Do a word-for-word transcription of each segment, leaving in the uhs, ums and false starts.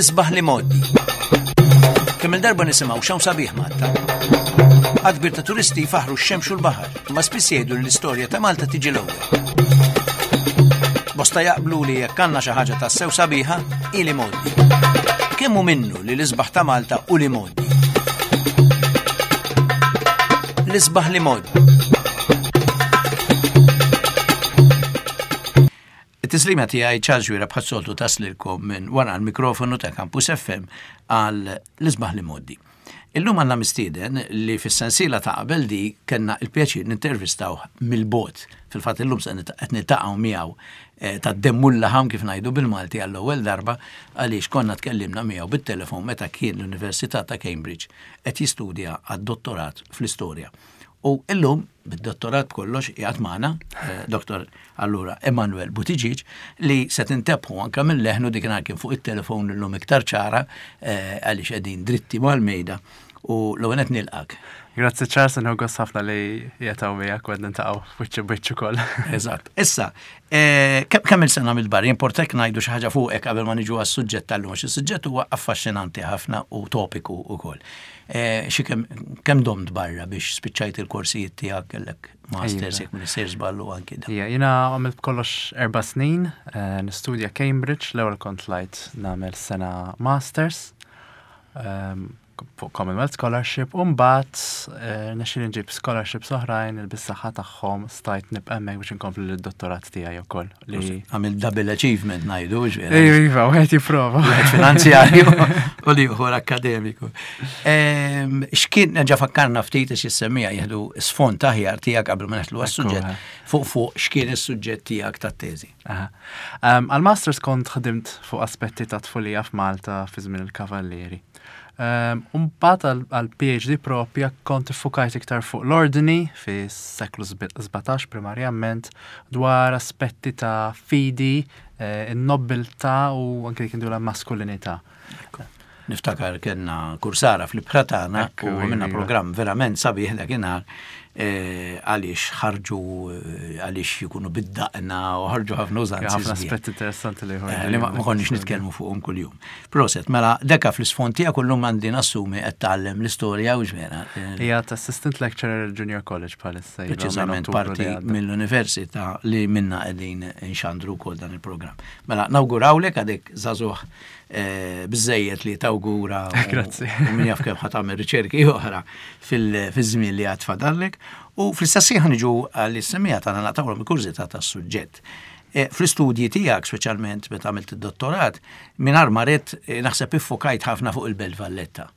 L-isbaħ l-imgħoddi. Kemm il-darba nisimgħu x'hawn sabiħ Malta. Għadd kbir ta' turisti jfaħru x-xemx u l-baħar, imma spiss jgħidu li l-istorja ta' Malta tiġi l-ewwel. Bosta jaqblu li jekk għandna xi ħaġa tassew sabiħa, hi l-imgħoddi. Kemm hu minnu li l-isbaħ ta' Malta u l-imgħoddi? L-isbaħ l-imgħoddi. It-tislima tiegħi Charles Wira bħas-soltu taslilkom minn wara l-mikrofonu ta' Campus F M għal l-isbaħ l-imgħoddi. Illum għandna mistieden li fis-sensiela ta' qabel di kellna il-pjaċir nintervistaw mill-bogħod. Fil-fatt illum se qed niltaqgħu miegħu eh, ta' demmu l-laħam kif ngħidu bil-Malti għall-ewwel darba, għaliex konna tkellimna miegħu bit-telefon meta kien l-Università ta' Cambridge qed jistudja għad-dottorat fl-istorja. U illum bid-dottorat kollox qiegħed magħna, eh, Doktor allura Emanuel Buttigieg, li se tintebħu anke minn leħnu dik kien fuq it-telefon illum iktar ċara, eh, għaliex qegħdin dritti mal-mejda, u l-ewwel qed nilqak. Grazzi Charles, nħu gost ħafna li jetaw miegħek u qed niltaqgħu wiċċ b'wiċċ ukoll. Eżatt. Issa, eh, kemm il-sena mill-bar, jimportek ngħidu xi ħaġa fuqek qabel ma niġu għas-suġġett tal-lum, għax is-suġġett huwa affaxxinanti ħafna u topiku wkoll. Eh, xi kemm domt barra biex spiċċajt il-korsijiet tiegħek, kellek masters, jekk m'iniex sejjer żballu anki da. Ija, jiena għamilt kollox erba' snin, eh, nistudja Cambridge, l-ewwel kont tlajt nagħmel sena masters, ehm, fuq Commonwealth Scholarship, u mbagħad, eh, nexxieli nġib scholarships oħrajn il bis-saħħa tagħhom stajt nibqa' hemmhekk biex inkompli l-dottorat tiegħi wkoll. Li Għamil double achievement ngħidu, ġifieri. Ejju, iva, wieħed jipprova. Wieħed finanzjarju u l-ieħor akkademiku. Ehm, x'kien ġa fakkarna ftit għax issemmija jieħdu sfond aħjar tiegħek qabel ma neħlu għas-suġġett. Fuq fuq x'kien is-suġġett tiegħek tat-teżi? Aha. Ehm, għal-masters kont ħdimt fuq aspetti ta' tfulija f'Malta fi żmien il-Kavallieri. Ehm, Mbagħad għal P H D propja kont iffukajt iktar fuq l-ordni fi seklu sbatax primarjament, dwar aspetti ta' fidi, eh, in-nobiltà u anke dik la maskulinità. Niftakar kellna kursara fl-ibħra tagħna Ekku, u għamilna iva. programm verament sabiħ dakinhar, eh, għaliex ħarġu, eh, għaliex jkunu bid-daqna u ħarġu ħafna użanzi Ħafna sbieħ. aspetti interessanti li Eh, li ma ma konniex nitkellmu fuqhom kuljum. Proset, mela dekka fl-isfond tiegħek kullum għandi nassumi qed tgħallem l-istorja u ġvera. Hija assistant lecturer Junior College bħalissa. Iva, minn Preċiżament Ottubru parti li għadda. mill-università li minna qegħdin nxandru wkoll dan il-programm. Mela nawgurawlek, għadek żagħżugħ, eh, biżejjed li tawgura u- Grazzi. u min jaf kemm ħa tagħmel riċerki oħra fil-żmien li għad fadallek. U fl-istess ħin niġu għall-issemija tagħna naqtawhom il-kurżità tas-suġġett. Eh, Fl-istudji tiegħek, speċjalment meta għamilt id-dottorat, mingħajr ma ridt, eh, naħseb iffokajt ħafna fuq il-Belt Valletta,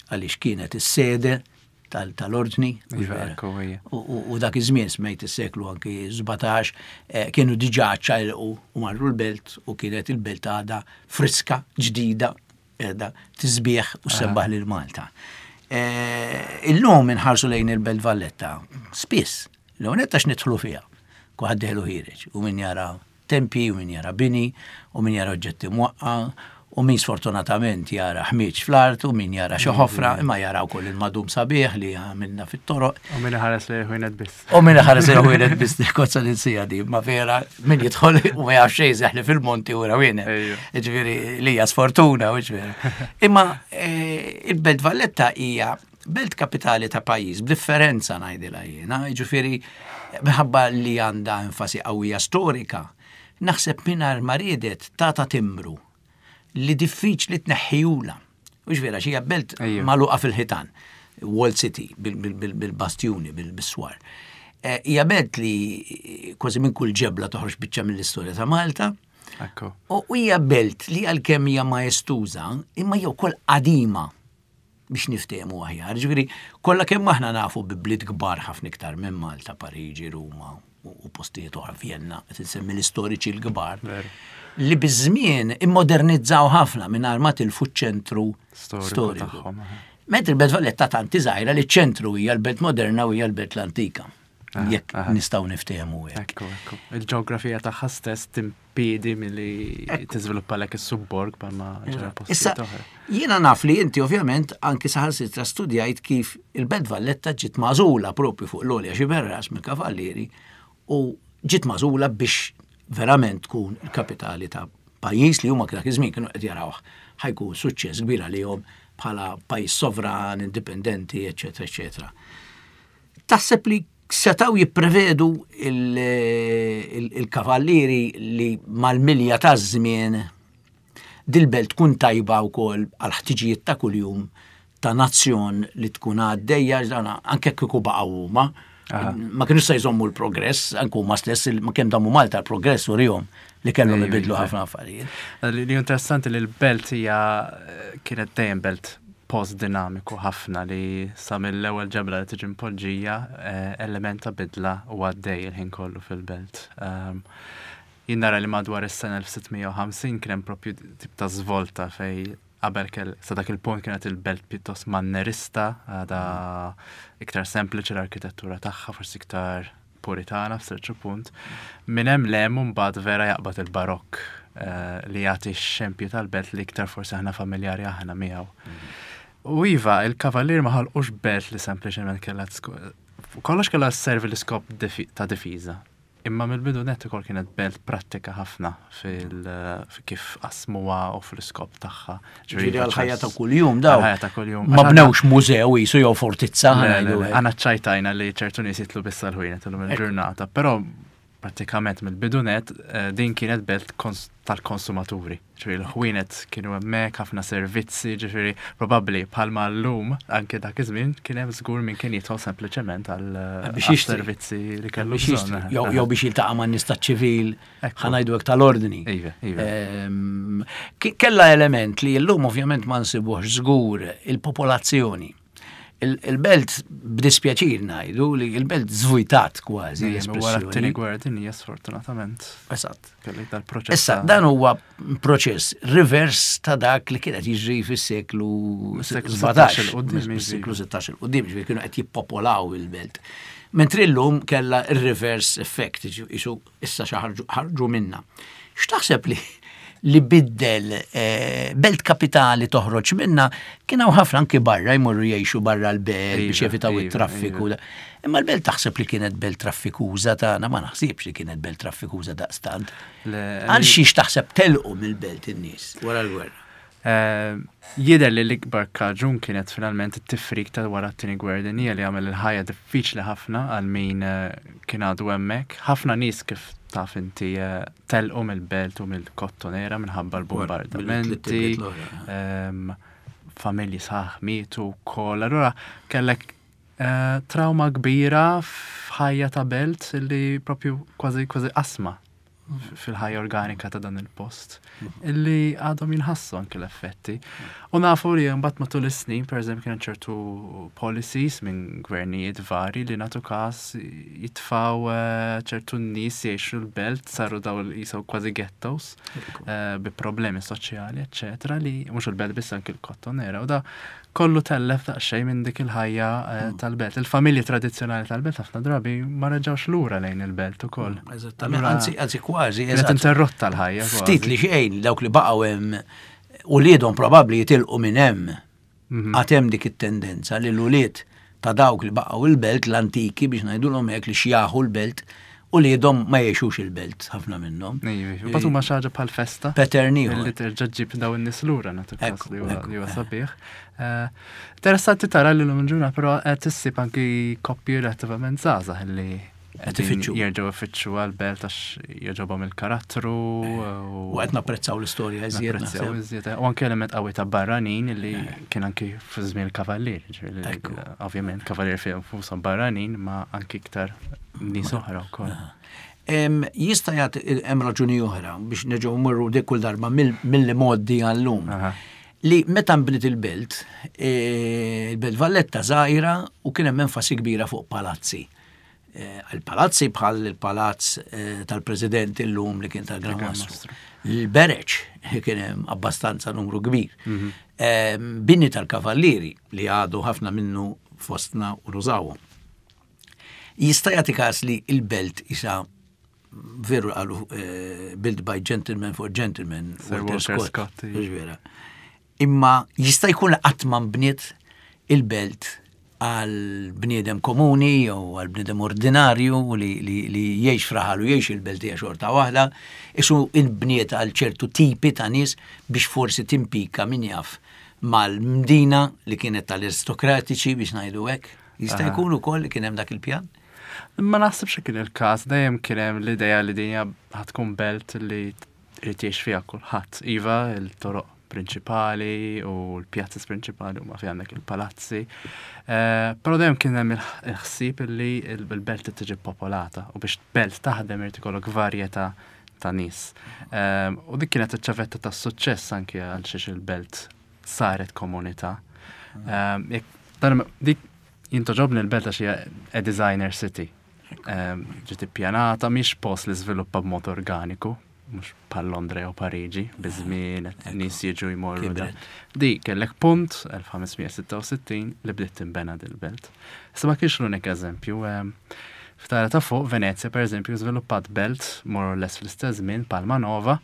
għaliex kienet is-sede tal- tal-ordni. U Iva, vera. Ekku, ija. U, u, u dak iż-żmien smejt is-seklu anki sbatax, eh, kienu diġà ċajlqu u marru l-belt u kienet il-belt għadha friska, ġdida, qiegħda tisbieħ u sebbaħ lil Malta. Eh, Illum inħarsu lejn il-Belt Valletta, spiss, l-għonet għax nidħlu fiha, kulħadd dieħel u ħiereġ, u min jara tempi, u min jara bini, u min jara oġġetti mwaqqa, u min sfortunatament jara ħmieġ fl-art, u min jara xi ħofra, imma jara wkoll il-madum sabiħ li għamilna fit-toroq. U min ħares li ħwienet biss. U min ħares li ħwienet biss, kozza li nsija di, ma vera, min jidħol u ma jafx xejn seħli fil-monti u rawienet. Ejju. Ġifieri li hija sfortuna, u ġifieri. Imma eh, il-Belt Valletta hija belt kapitali ta' pajjiż, b'differenza ngħidilha jiena, ġifieri minħabba li għandha enfasi qawwija storika, naħseb mingħajr ma riedet tata timbru li diffiċli tneħħijula. U vera, xija belt Ejju. magħluqa fil-ħitan, Walled City, bil- bil- bil- bil-bastjuni, bil-biswar. Eh, Hija belt li kważi minn kull ġebla toħroġ biċċa mill-istorja ta' Malta. Ekku. U hija belt li għalkemm hija maestuża, imma hija wkoll qadima biex niftehmu aħjar. Ġifieri, kollha kemm aħna nafu bi bliet kbar ħafna iktar minn Malta, Pariġi, Ruma u u postijiet oħra, Vienna, qed insemmi l-istoriċi l-kbar. Veru. Li biż-żmien immodernizzaw ħafna mingħajr ma tilfu ċ-ċentru Storiku storiku. tagħhom, aha. Mentri il-Belt Valletta tanti żgħira li ċ-ċentru hija l-belt moderna u hija l-belt l-antika. Aha, Jekk aha. nistgħu niftehmu hekk. Ekku, ekku. Il-ġeografija tagħha stess timpidi milli tiżviluppa lek is-subborg bħalma ġara Issa, postijiet oħra. jiena naf li inti ovvjament anki saħansitra studjajt kif il-Belt Valletta ġiet magħżula propju fuq l-għolja Xiberras mill-Kavallieri u ġiet magħżula biex verament tkun il-kapitali ta' Pajjiż li huma dak iż-żmien kienu qed jarawh ħa jkun suċċess kbir għalihom bħala pajjiż sovran, indipendenti, eċetera, eċetera. Taħseb li setaw jipprevedu il-kavallieri li mal-milja ta' żmien dil-belt tkun tajba wkoll għal ħtiġijiet ta' kuljum ta' nazzjon li tkun għaddejja, anke kieku baqgħu huma, ma kienu se jżommu l-progress, anke huma stess ma kemm damu Malta l-progress urihom li kellhom ibidlu ħafna affarijiet. Li interessanti li l-belt hija kienet dejjem belt post dinamiku ħafna li sa mill-ewwel ġebla li tiġi mpoġġija eh, element ta' bidla u għaddej il-ħin kollu fil-belt. Um, jien nara li madwar is-sena elf sitt mija u ħamsin kien hemm propju tip ta' svolta fej qabel kell sa dak il-punt kienet il-belt pjuttost mannerista, għada iktar sempliċi l-arkitettura tagħha, forsi iktar puritana f'ċertu punt. Minn hemm 'l hemm mbagħad vera jaqbad il-barokk eh, li jagħti x-xempju tal-belt li iktar forsi aħna familjari aħna miegħu. U iva, il-kavallier ma ħalqux belt li sempliċement kellha kollox kellha sservi l-iskop ta' difiża. Imma mill-bidu net ukoll kienet belt prattika ħafna fil kif qasmuha u fl-iskop tagħha. Ġifieri għal-ħajja ta' kuljum daw. Għal-ħajja ta' kuljum. Ma bnewx mużew jisu jew fortizza. Għana ċajtajna li ċertu nies jitlu biss għal-ħwienet illum il-ġurnata, però pratikament mill-bidu net eh, din kienet belt tal-konsumaturi. Ġifieri l-ħwienet kienu hemmhekk, ħafna servizzi, ġifieri probabbli bħalma llum anke dak iż-żmien kien hemm żgur min kien jidħol sempliċement għal biex servizzi li kellu bżonn. Jew biex jiltaqa' man nies ċivil, ħa ngħidu hekk tal-ordni. Iva, iva. Ehm, kella element li llum ovvjament ma nsibuhx żgur, il-popolazzjoni. Il-belt, b'dispjaċir ngħidu li il-belt żvujtat kważi. Wara t-tieni gwerra dinjija, sfortunatament. Eżatt. Kellek dal-proċess. Issa, dan huwa proċess reverse ta' dak li kienet jiġri fis-seklu sbatax, seklu sittax 'il quddiem, ġifieri kienu qed jippopolaw il-belt. Mentri llum kella il-reverse effect, isu issa xi ħarġu minna. X'taħseb li li biddel eh, belt kapitali toħroġ minna? Kien hawn ħafna anki barra jmorru jgħixu barra l-belt biex Iva, jevitaw iva, it-traffiku. iva. Imma l-belt taħseb li kienet belt traffikuża tagħna? Ma naħsibx li kienet belt traffikuża daqstant. Le- Għal xiex taħseb telqu mill-belt in-nies wara l-gwerra? Eh, Jidher li l-ikbar kaġun kienet finalment it-tifrik ta' wara t-tieni gwerra dinjija li għamel il-ħajja diffiċli ħafna għal min eh, kien għadu hemmhekk. Ħafna nies, kif taf inti, eh, telqu mill-belt u mill-Kottonera minħabba l-bombardamenti. Ehm, familji sħaħ mietu wkoll. Allura kellek eh, trauma kbira f'ħajja ta' belt li propju kważi kważi qasma fil-ħajja organika ta' dan il-post illi għadhom jinħassu anke l-effetti. U nafu li mbagħad matul is-snin, pereżempju, kien ċertu policies minn gvernijiet vari li nagħtu każ jitfaw eh, ċertu nies jgħixu l-belt, saru daw jisaw kważi ghettos eh, bi problemi soċjali, eccetera, li mhux il-belt biss, anke l-Kottonera, u da kollu tellef daqsxejn minn dik il-ħajja eh, tal-belt. Il-familji tradizzjonali tal-belt ħafna drabi ma reġgħux lura lejn il-belt ukoll. Eżattament, Allura, anzi, anzi kważi, kienet eżatt. interrotta l-ħajja kważi. Ftit li xejn dawk li baqgħu hemm uliedhom probabbli jitilqu minn hemm. Mhm. Għad hemm dik it-tendenza li l-ulied ta' dawk li baqgħu il-belt l-antiki, biex ngħidulhom hekk, li xjaħu l-belt, uliedhom ma jgħixux il-belt ħafna minnhom. Iva, Mbagħad huma xi ħaġa bħal festa. Pattern ieħor. Li terġa' ġġib daw in-nies lura, nagħtu każ Ekku, li huwa ekku, li huwa eh. sabiħ. Eh, Interessanti tara li l-lum ġuna però qed issib anki koppji relattivament żgħażagħ li Qed ifittxu. jerġgħu ifittxu għal-belt għax jogħġobhom il-karattru U qed napprezzaw l-istorja iżjed. Napprezzaw naħseb. iżjed. U anke element qawwi ta' barranin li kien anki fi żmien il-kavallier. Ġifieri, Ekku. ovvjament kavallier fihom fushom barranin, ma anki iktar nies oħra wkoll. Em, Jista' jagħti hemm raġuni oħra biex nerġgħu mmorru dik kull darba mill- mill-modi għallum. Aha. Li meta nbniet il-belt, eh, il-belt Valletta żgħira u kien hemm enfasi kbira fuq palazzi. Eh, Il-palazzi bħal il-palazz eh, tal-President illum li kien tal-Gran Gran Mastru. Mastru. Il-Bereċ kien hemm abbastanza numru kbir. Eh, Bini tal-Kavallieri li għadu ħafna minnu fostna u nużawhom. Jista' jagħti każ li il-belt isa veru qalu eh, "built by gentlemen for gentlemen", Sir Walter Walter Scott. Scott, Mhux vera. Imma jista' jkun li qatt ma nbniet il-belt għal bniedem komuni jew għal bniedem ordinarju li, li, li jgħix f'raħal u jgħix il-belt hija xorta waħda, isu inbniet għal ċertu tipi ta' nies biex forsi timpika, min jaf, mal-mdina li kienet tal-aristokratiċi, biex ngħidu hekk. Jista' jkun ukoll li kien hemm dak il-pjan? Ma naħsibx kien il-każ, dejjem kien hemm l-idea li din ħa tkun belt li irid jgħix fiha kulħadd. Iva, il-toroq prinċipali u l-pjazzas prinċipali huma fi għandek il-palazzi. Eh, però dejjem kien hemm il-ħsieb li l-belt tiġi popolata u biex belt taħdem irid ikollok varjetà ta' nies. Eh, u dik kienet iċ-ċavetta tas-suċċess anke għal xiex il-belt saret komunità. Eh, dik jintogħġobni l-belt għax hija a designer city. Ġiet ippjanata, mhix post li żviluppa b'mod organiku, mhux bħal Londra jew Pariġi, biż-żmien nies jiġu jmorru. Di kellek punt elf ħames mija sitta u sittin li bdiet tinbena dil-belt. Issa ma kienx l-unik eżempju. F'Italja ta' fuq, Venezia per eżempju żviluppat belt more or less fl-istess żmien, Palma Nova,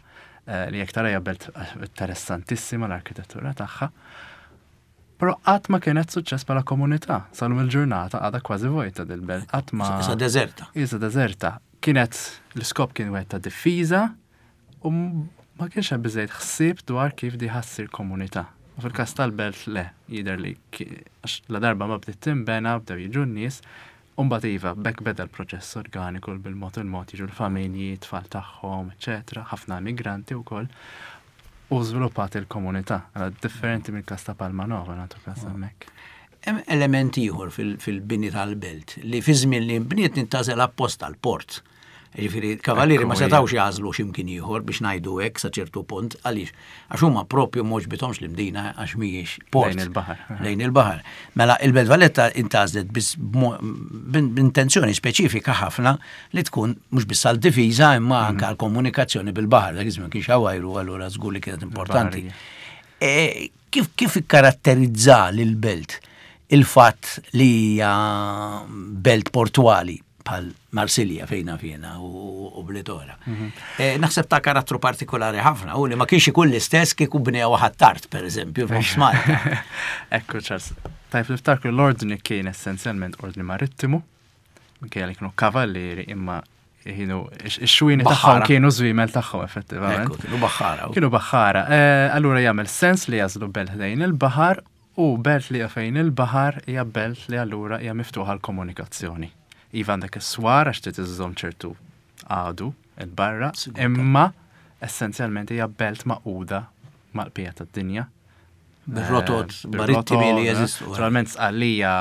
eh, li jekk tara hija belt interessantissima l-arkitettura tagħha. Però qatt ma kienet suċċess bħala komunità. Sal-lum il-ġurnata għadha kważi vojta dil-belt. Qatt ma. Issa deżerta. Issa deżerta. Kienet l-iskop kien wieħed ta' diffiża u ma kienx hemm biżejjed ħsieb dwar kif di ħa ssir komunità. U fil-każ tal-belt le, jidher li għax la darba ma bdiet tinbena, bdew jiġu n-nies, u mbagħad iva, bekk beda l-proċess organiku bil-mod il-mod jiġu l-familji, tfal tagħhom, eċetera, ħafna immigranti wkoll. U żviluppat il-komunità, differenti mill każ ta' Palma Nova, nagħtu każ hemmhekk. Hemm element ieħor fil-bini tal-belt li fi żmien li nbniet intgħażel apposta l-port. Ġifieri, kavallieri ma setawx jagħżlu x'imkien ieħor, biex ngħidu hekk, sa ċertu punt, għaliex għax huma propju m'għoġbithomx l-Imdina għax mhijiex port. Lejn il-baħar. Lejn il-baħar. Mela il-Belt Valletta intgħażlet biss b'intenzjoni speċifika ħafna li tkun mhux biss għal difiża imma anke għal komunikazzjoni bil-baħar, dak iż-żmien kienx ajru, allura żgur li kienet importanti. E, kif kif ikkaratterizza lil-belt il-fatt li hija belt portwali bħal Marsilja fejna fjena u bliet oħra? Mhm. Eh, naħseb ta' karattru partikolari ħafna u li ma kienx ikun l-istess kieku bnew Ħ'Attard, per eżempju, f'nofs Malta. Ekku, Charles. Tajb niftakru l-ordni kien essenzjalment ordni marittimu, minkejja li kienu kavallieri, imma kienu ix-xwini tagħhom kienu żwiemel tagħhom effettivament. Kienu baħħara. Kienu baħħara. Eh, allura jagħmel sens li jagħżlu belt lejn il-baħar, u belt li fejn il-baħar hija belt li allura hija miftuħa l-komunikazzjoni. Iva, għandek is-swar għax trid iżżomm ċertu għadu il-barra, imma essenzjalment hija belt magħquda mal-bqija tad-dinja. Bir-rotot eh, marittimi li jeżistu. Naturalment Sqallija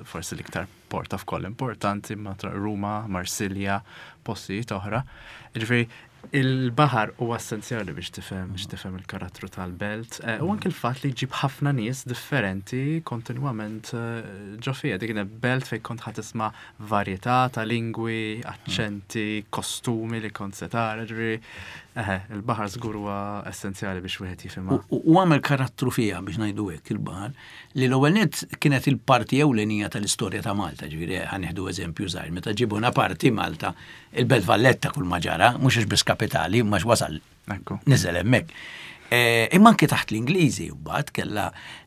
forsi l-iktar port of call importanti, ma Ruma, Marsilja, postijiet oħra. Ġifieri il-baħar huwa essenzjali biex tifhem biex tifhem il-karattru tal-belt. Eh, u anke il-fatt li jġib ħafna nies differenti kontinwament eh, ġo fiha. Dik belt fejn kont ħa tisma' varjetà ta' lingwi, aċċenti, kostumi li kont se tara, ġifieri il-baħar żgur huwa essenzjali biex wieħed jifhimha. U għamel karattru fiha, biex ngħidu hekk, il-baħar, li l-ewwel nett kienet il-parti ewlenija tal-istorja ta' Malta, ġifieri ħa nieħdu eżempju żgħir, meta ġibuna parti Malta, il-Belt Valletta kull ma ġara, mhux għax biss kapitali, ma wasal niżel hemmhekk. E, imma anke taħt l-Ingliżi mbagħad kellha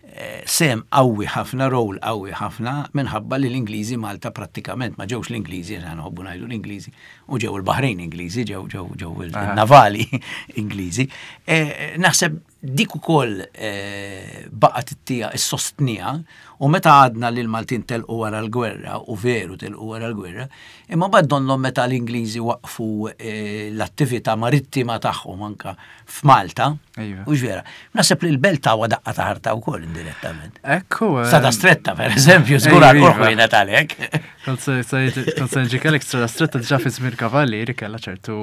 e, sem qawwi ħafna, rol qawwi ħafna, minħabba li l-Ingliżi Malta prattikament ma ġewx l-Ingliżi, għana nħobbu ngħidu l-Ingliżi, u ġew il-Baħrejn Ingliżi, ġew ġew ġew il-navali Ingliżi. E, naħseb dik ukoll baqgħet ittija is-sostnija u meta għadna li l-Maltin telqu wara l-gwerra, u veru telqu wara l-gwerra, imma bad donnhom meta l-Ingliżi waqfu l-attività marittima tagħhom anka f'Malta, u vera. Naħseb li l-belt tawa daqqa ta' ħarta wkoll indirettament. Ekku. Strada Stretta, per eżempju, żgur għal għalek. Kont se nġikelek Strada Stretta diġà fi żmien Kavallieri kellha ċertu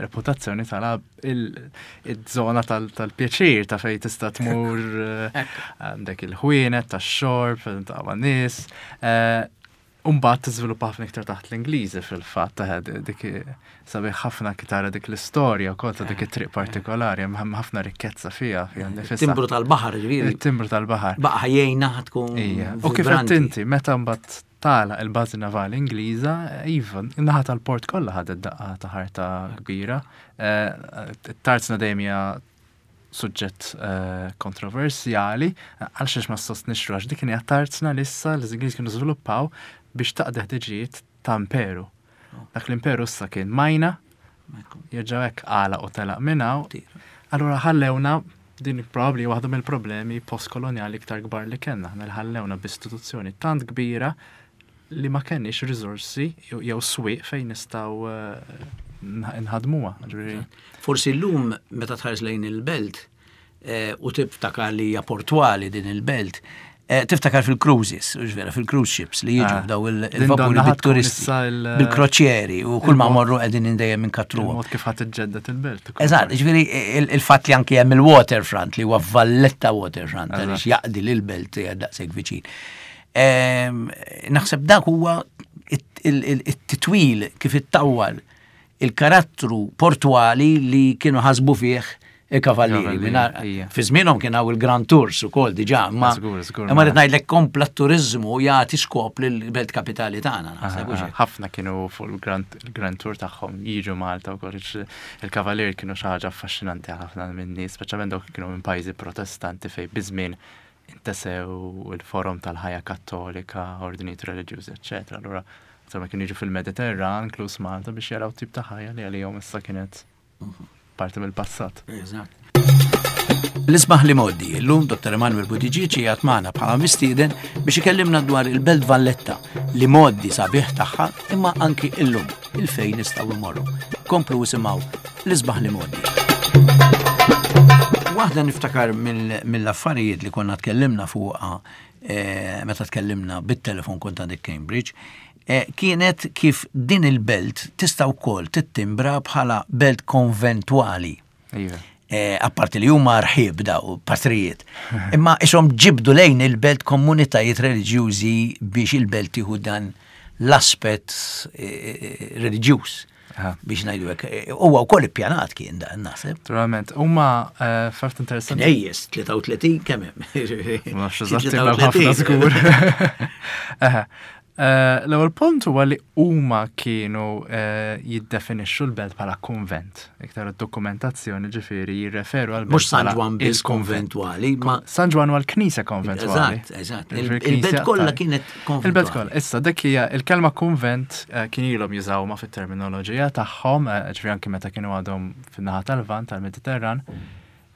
reputazzjoni tala il-żona tal-pjaċir ta' fej tista' tmur, għandek il-ħwienet tax-xorb, ta' nies. Umbagħad tiżviluppa ħafna iktar taħt l-Ingliżi fil-fatt, dik sabiħ ħafna tara dik l-istorja wkoll ta' dik it-triq partikolari, hemm ħafna rikkezza fiha fiha nnifisha. Timbru tal-baħar, ġifieri. Il-timbru tal-baħar. Baqa' jgħinna tkun. U kif qed inti, meta mbagħad tala il-bażi navali Ingliża, iva, in-naħa tal-port kollha ħadet daqqa ta' ħarta kbira. Tarzna dejjem hija Suġġett eh, kontroversjali, għal xiex ma sostnix għax dik kien tarzna lissa li l-Ingliż kienu żviluppaw biex taqdi ħtiġijiet ta' imperu. Dak l-imperu issa kien majna, jerġgħu hekk għala u telaq minn hawn. Allura ħallewna din, probabbli waħda mill-problemi postkoloniali iktar kbar li kellna, aħna li ħallewna b'istituzzjoni tant kbira li ma kenniex riżorsi jew jew swieq fejn nistgħu eh, nħadmuha. Ġifieri, Forsi llum meta tħares lejn il-belt eh, u tiftakar li hija portwali din il-belt, eh, tiftakar fil-cruises, u vera, fil-cruise ships li jiġu Ah. daw il- Din il-vapuri donna ħa tkun bit-turisti, issa il- bil-kroċieri u kull ma il-mod- morru qegħdin dejjem inkattruhom. Il-mod kif ħadd iġġedded il-belt ukoll. Eżatt, ġifieri il- il-fatt li anki hemm il-waterfront li huwa Valletta Waterfront għaliex Eżatt. jaqdi lil belt hija daqshekk viċin. Ehm, Naħseb dak huwa it- il- il- it-titwil kif ittawwal il-karattru portwali li kienu ħasbu fih il-kavallieri. Kavallieri, Mingħajr- ija. Fi żmienhom kien hawn il-Grand Tours ukoll diġà, ma Żgur, żgur, imma ma- rrid ngħidlek kompla t-turiżmu jagħti skop lill-belt kapitali tagħna, naħseb, Aha, hux hekk? Ħafna kienu fuq il-Grand il-Grand Tour tagħhom jiġu Malta wkoll. Il-Kavalier kienu xi ħaġa affaxxinanti għal ħafna minn nies, speċjalment dawk kienu minn pajjiżi Protestanti fejn biż-żmien intesew il-forom tal-ħajja Kattolika, ordinijiet reliġjużi, eċċetera. Allura insomma kienu jiġu fil-Mediterran, inkluż Malta, biex jaraw tip ta' ħajja li għalihom issa kienet parti mill-passat. Eżatt. L-isbaħ l-imgħoddi, illum Dottor Emanuel Buttigieg qiegħed magħna bħala mistieden biex ikellimna dwar il-Belt Valletta, l-imgħoddi sabiħ tagħha, imma anki illum il-fejn nistgħu immorru. Komplu isimgħu l-isbaħ l-imgħoddi. Waħda niftakar mill- mill-affarijiet li konna tkellimna fuqha eh, meta tkellimna bit-telefon kont għandek Cambridge, eh, kienet kif din il-belt tista' wkoll tittimbra bħala belt konventwali. Iva. Eh, apparti li huma rħib daw patrijiet. Imma ishom ġibdu lejn il-belt komunitajiet reliġjużi biex il-belt tieħu dan l-aspett eh, reliġjuż Aha. biex ngħidu hekk. Eh, Huwa wkoll ippjanat kien dan, naħseb. Naturalment, huma eh, fatt interessanti. Knejjes, tlieta u tletin kemm hemm? Ma nafx eżatt, imma ħafna żgur. Eħe. Eh, L-ewwel punt huwa li huma kienu eh, jiddefinixxu l-belt bħala konvent. Iktar id-dokumentazzjoni ġifieri jirreferu għal Mhux San Ġwann biss konventwali, ma San Ġwann huwa l-knisja konventwali. Eżatt, eżatt. Ġifieri Il- Il-belt knisja kollha ta' kienet Il-belt konventwali. kollha. Issa dik hija il-kelma konvent, eh, kien ilhom jużawha fit-terminoloġija tagħhom, eh, ġifieri anke meta kienu għadhom fin-naħa tal-Lvant tal-Mediterran.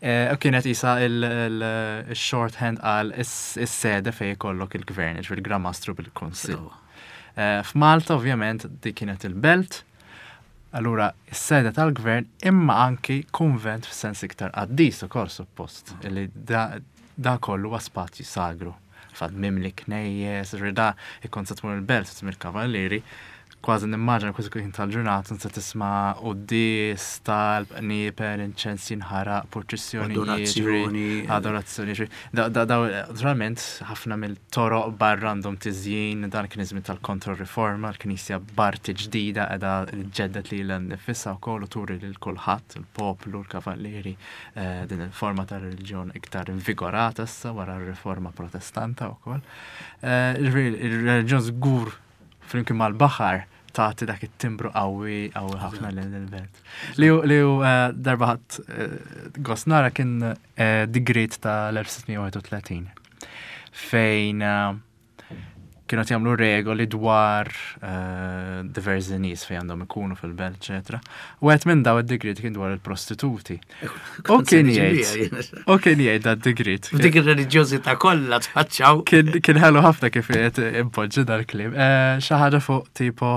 Eh, U kienet isa il-shorthand għal is-sede fejn ikollok il-gvern, ġifieri il-Gran Mastru bil-Kunsill. Eh, F'Malta ovvjament dik kienet il-belt, allura is-sede tal-gvern imma anki konvent f'sens iktar qaddis ukoll suppost, li da, da kollu huwa spazju sagru. Fad mimli knejjes, ġifieri da ikkont se tmur il-belt, tmur il-kavallieri, kważi nimmaġina kważi kien tal-ġurnata se tisma' quddies, talb, qniepen, inċens jinħaraq, purċissjonijiet, ġifieri, Adorazzjoni. Adorazzjoni, ġifieri. Da, da, da, naturalment, ħafna mill-toroq barra għandhom tiżjin, dan kien iż-żmien tal-kontro-riforma, l-Knisja b'arti ġdida qiegħda ġġedded lilha nnifisha wkoll u turi lil kulħadd, il-poplu, l-kavallieri, eh, din il-forma ta' reliġjon iktar invigorata issa wara r-riforma Protestanta wkoll. Eh, Ġifieri, il-reliġjon żgur flimkien mal-baħar tagħti dak it-timbru qawwi qawwi ħafna lil il-belt. Li hu li hu eh, darba ħadt eh, gost nara kien eh, digriet ta' l-elf sitt mija wieħed u tletin fejn eh, kienu qed jagħmlu regoli dwar eh, diversi nies fejn għandhom ikunu fil-belt, eċetera. U għed minn daw id-digriet kien dwar il-prostituti. U kien jgħid, u kien jgħid dat digriet. Dik ir-reliġjożità kollha tfaċċaw. Kien kien ħelu ħafna kif qed impoġġi dal-kliem. Eh, Xi ħaġa fuq tipo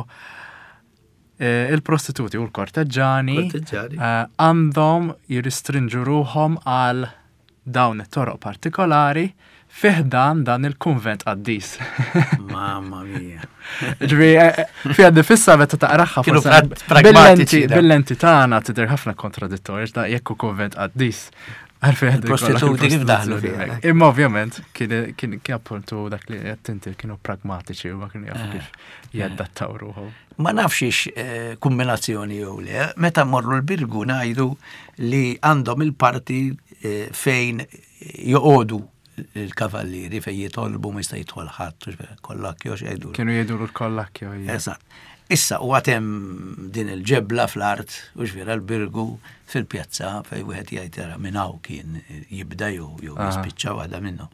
eh, il-prostituti u l-korteġġani Korteġġani. eh, għandhom jirrestrinġu ruħhom għal dawn it-toroq partikolari fi ħdan dan il-kunvent qaddis. Mamma mia. Ġifieri, eh, eh, fiha nifisha meta taqraha Kienu forse pra- pragmatiċi bil-lenti da. bil-lenti tagħna tidher ħafna kontradittorju, da jekk hu kunvent qaddis. Għalfejn għandu jkollok Il-prostituti kif daħlu il-prostituzzjoni fiha? hekk. Imma ovvjament kien kien kien appuntu dak li qed inti, kienu pragmatiċi u ma kienu jafu Eh. kif jadattaw ruħhom. Ma nafx ix eh, kombinazzjoni jew le, meta morru l-Birgu ngħidu li għandhom il-parti eh, fejn joqogħdu il-kavallieri, fejn jitolbu, ma jista' jidħol ħadd, kollakjo x'jgħidu. Kienu jgħidu l-kollakjo. Eżatt. Issa u għad hemm din il-ġebla fl-art, u ġvera l-Birgu fil-pjazza fej wieħed jgħid era minn hawn kien jibda jew jew jispiċċa waħda minnhom.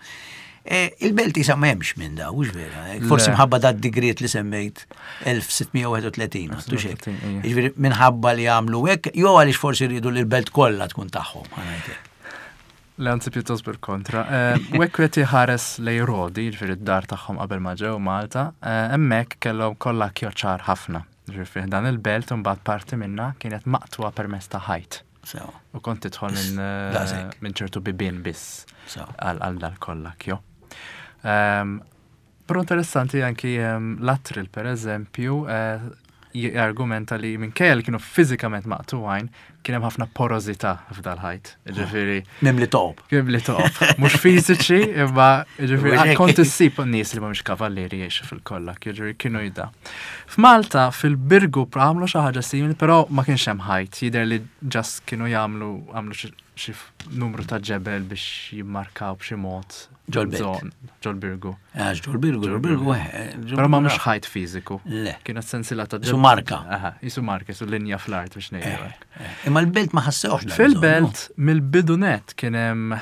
E, il-belt issa m'hemmx minn daw, hux vera. E, forsi mħabba da digriet li semmejt elf sitt mija u wieħed u tletin, għattu xek. Jiġifieri minħabba li għamlu hekk, jew għaliex forsi rridu li l-belt kollha tkun tagħhom, ħa ngħidlek. Le, anzi, pjuttost bil-kontra. U hekk qed iħares lej Rodi, ġifieri d-dar tagħhom qabel ma ġew Malta, eh, hemmhekk kellhom kollha ċar ħafna. Ġifieri dan il-belt mbagħad parti minna kienet maqtugħa permezz ta' ħajt. U kont tidħol minn eh, minn ċertu bibien biss għal dal kollakjo. Però interessanti anki Lattrell, per eżempju, eh, jargumenta li minkejja li kienu fiżikament maqtugħin, kien hemm ħafna porozità f'dal-ħajt. Ġifieri. Mimli toqob. Mimli toqob. Mhux fiżiċi, imma ġifieri kont issib nies li mhumiex kavallieri jgħixu fil-kollha, ġifieri kienu jida. F'Malta fil-Birgu għamlu xi ħaġa simili, però ma kienx hemm ħajt, jidher li just kienu jagħmlu għamlu xi numru ta' ġebel biex jimmarkaw b'xi mod. Ġol-belt. Ġol-Birgu. Għax ġol-Birgu, ġol-Birgu. Eh, Però ma mhux ħajt fiżiku. Le. Kienet sensila ta' Su marka. Aha, jisu marka, jisu linja fl-art biex ngħidu. Eh, eh. Imma l-belt ma ħassewx. Fil-belt, mill-bidu net kien hemm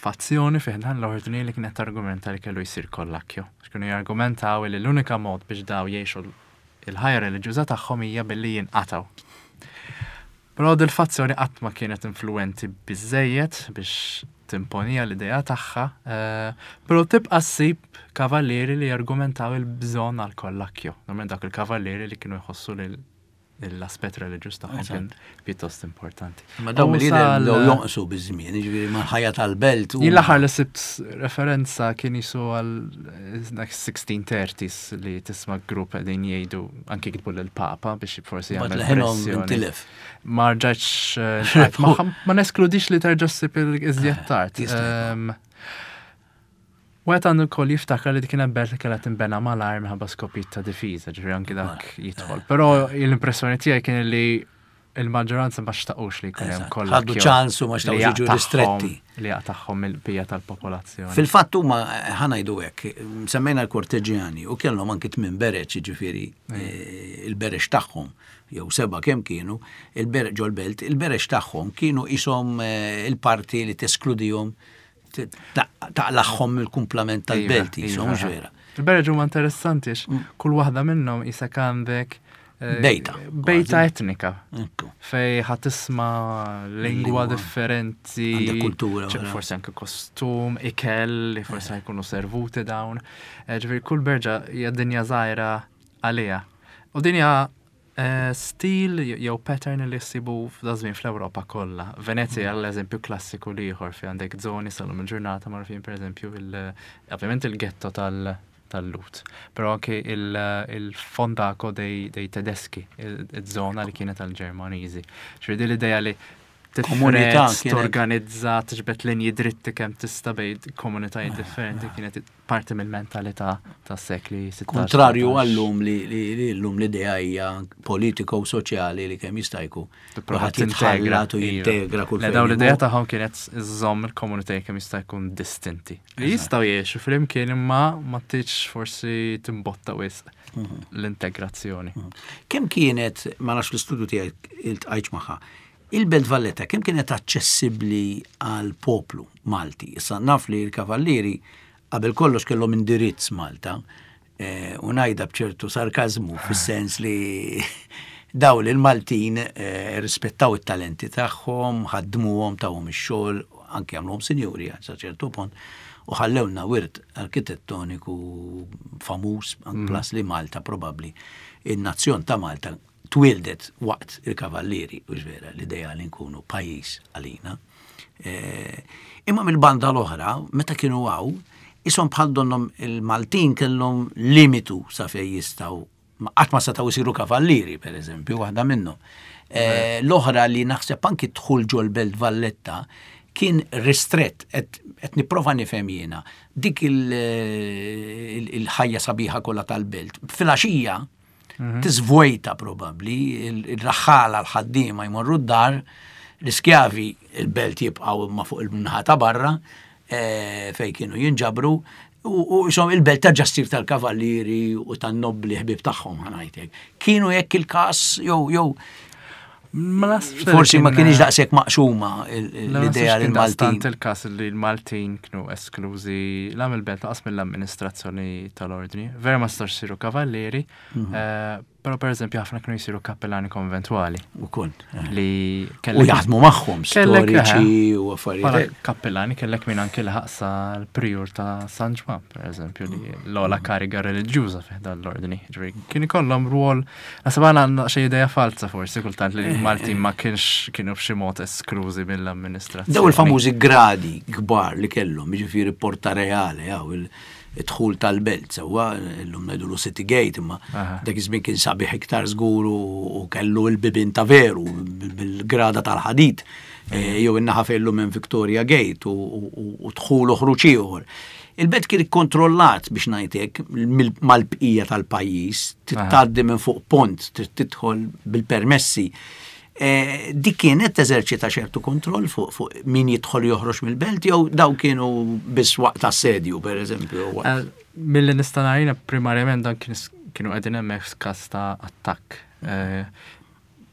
fazzjoni fih dan l-ordni li kienet argumenta li kellu jsir kollakjo. Kienu jargumentaw li l-unika mod biex daw jgħixu il-ħajja reliġjuża tagħhom hija billi jinqataw. Però dil-fazzjoni qatt ma kienet influenti biżejjed biex timponija l-idea tagħha, eh, però tibqa' ssib kavallieri li jargumentaw il-bżonn għal kollakjo. Normalment dak il-kavallieri li kienu jħossu li l-aspett reliġjuż tagħhom kien pjuttost importanti. Ma dawn li bdew jonqsu biż-żmien, jiġifieri mal-ħajja tal-belt. Jien l-aħħar li sibt referenza kien jisu għal dak sixteen thirties li tisma' grupp qegħdin jgħidu, anki kitbu lill-Papa biex forsi jagħmel pressjoni. Ma rġgħetx, eh, ma neskludix li terġa' ssib iżjed tard. Wieħed għandu wkoll jiftakar li kien belt li kellha tinbena malajr minħabba skopijiet ta' difiża, ġifieri anki dak jidħol. Però l-impressjoni tiegħi kien li il-maġġoranza ma xtaqux li jkun hemm kollha. Ħadu ċansu, ma xtaqux jiġu ristretti. Li jaqtagħhom il-bija tal-popolazzjoni. Fil-fatt huma, ħa ngħidu hekk, semmejna l-korteġjani u kellhom anki tmien bereġ, ġifieri eh, il-bereġ tagħhom jew seba' kemm kienu, il-bereġ ġol-belt, il-bereġ tagħhom kienu ishom eh, il-parti li teskludihom, taqlagħhom il-kumplament tal-belt, Iva, jisom iva. vera. Il-bereġ huma interessanti għax Mm. kull waħda minnhom isek għandek eh, Bejta. Bejta Kważi. etnika. Ekku. Fej ħa tisma' lingwa Lingwa. differenti. Għandek kultura, ċe- vera. Forsi anke kostum, ikel, li forsi jkunu servuti dawn. Eh, Ġifieri kull berġa hija dinja żgħira għalija. U dinja eh, stil jew pattern li ssibu f'da żmien fl-Ewropa kollha. Venezia l-eżempju klassiku ieħor fi għandek żoni sal-lum il-ġurnata magħrufin, pereżempju il ovvjament il-ghetto tal tal-Lhud, però anke il- il-Fondaco dei, dei Tedeschi, il-żona li kienet tal-Ġermaniżi. Ġifieri din l-idea li Komunità tifred, kienet- torganizza, tiġbed linji dritti kemm tista' bejn komunitajiet differenti kienet parti mill-mentalità tas-sekli sittax. Kontrarju sebtax. għallum li li li llum l-idea hija politiko u soċjali li kemm jista' jkun. Tipprova Kulħadd jitħallat u iva. jintegra kull Le, fejn dawn l-idea imur. tagħhom kienet iżżomm il-komunitajiet kemm jista' jkun distinti. Li jistgħu jgħixu flimkien imma ma tridx forsi timbotta wisq Mhm. l-integrazzjoni. Kemm kienet, ma nafx l-istudju tiegħek iltqajtx magħha, il-Belt Valletta kemm kienet aċċessibbli għal poplu Malti? Issa naf li l-Kavallieri qabel kollox kellhom indirizz Malta, eh, u ngħidha b'ċertu sarkazmu fis-sens li daw li l-Maltin eh, rispettaw it-talenti tagħhom, ħaddmuhom, tawhom ix-xogħol, anke għamluhom sinjuri sa ċertu punt, u ħallewna wirt arkitettoniku famuż, mm. plus li Malta probabbli in-nazzjon ta' Malta twildet waqt il-Kavallieri, u vera l-idea li nkunu pajjiż għalina. Eh, Imma mill-banda l-oħra, meta kienu hawn, ishom bħal donnhom il-Maltin kellhom limitu sa fej jistgħu, qatt ma setgħu jsiru kavallieri, per eżempju, waħda minnhom. Eh, L-oħra li naħseb anki dħul ġol Belt Valletta kien ristrett, qed nipprova nifhem jiena, dik il- il- il-ħajja sabiħa kollha tal-belt. Filgħaxija tiżvojta probabbli, il-raħħala, l-ħaddiema jmorru d-dar, l-iskjavi il-belt jibqgħu imma fuq il-naħa ta' barra, eh, fej kienu jinġabru, U isom il-belt ta' ġastir tal-kavallieri u tan-nobli ħbib tagħhom, ħa ngħidlek. Kienu jekk il-każ jew jew forsi ma kienx daqshekk maqsuma l-idea li l-Maltin. Il-każ li l-Maltin kienu esklużi la mill-belt lanqas mill-amministrazzjoni tal-ordni. Vera ma stax siru kavallieri, mhm. eh, però per eżempju ħafna kienu jsiru kappellani konventwali. U kun. Eh. Li U jaħdmu magħhom storiċi u affarijiet. Kappellani kellek minn anki l-ħaqsa l-prijur ta' San Ġwann, per eżempju, li l-ogħla kariga reliġjuża fi l-ordni. Kien ikollhom rwol, naħseb għandna xi idea falsa forsi kultant li Maltin ma kienx kienu b'xi mod esklużi mill-amministrazzjoni. Daw il-famużi gradi kbar li kellhom, jiġifieri Porta Reale, jew il-dħul tal-belt, sewwa llum ngħidulu City Gate, imma dak iż-żmien kien sabiħ iktar żgur u kellu l-bibin ta' veru bil-grada tal-ħadid, eh, jew in-naħa fejn minn Victoria Gate u dħul u ħruġ ieħor. Il-belt kien ikkontrollat, biex ngħidlek, mal-bqija tal-pajjiż, tgħaddi minn fuq pont, tidħol bil-permessi. Eh, dik kienet teżerċita ċertu kontroll fuq fu min jidħol joħroġ mill-belt jew daw kienu biss waqt assedju, per eżempju? Eh, milli nista' ngħid, primarjament dan kienu qegħdin hemmhekk f'każ ta' attakk. Eh,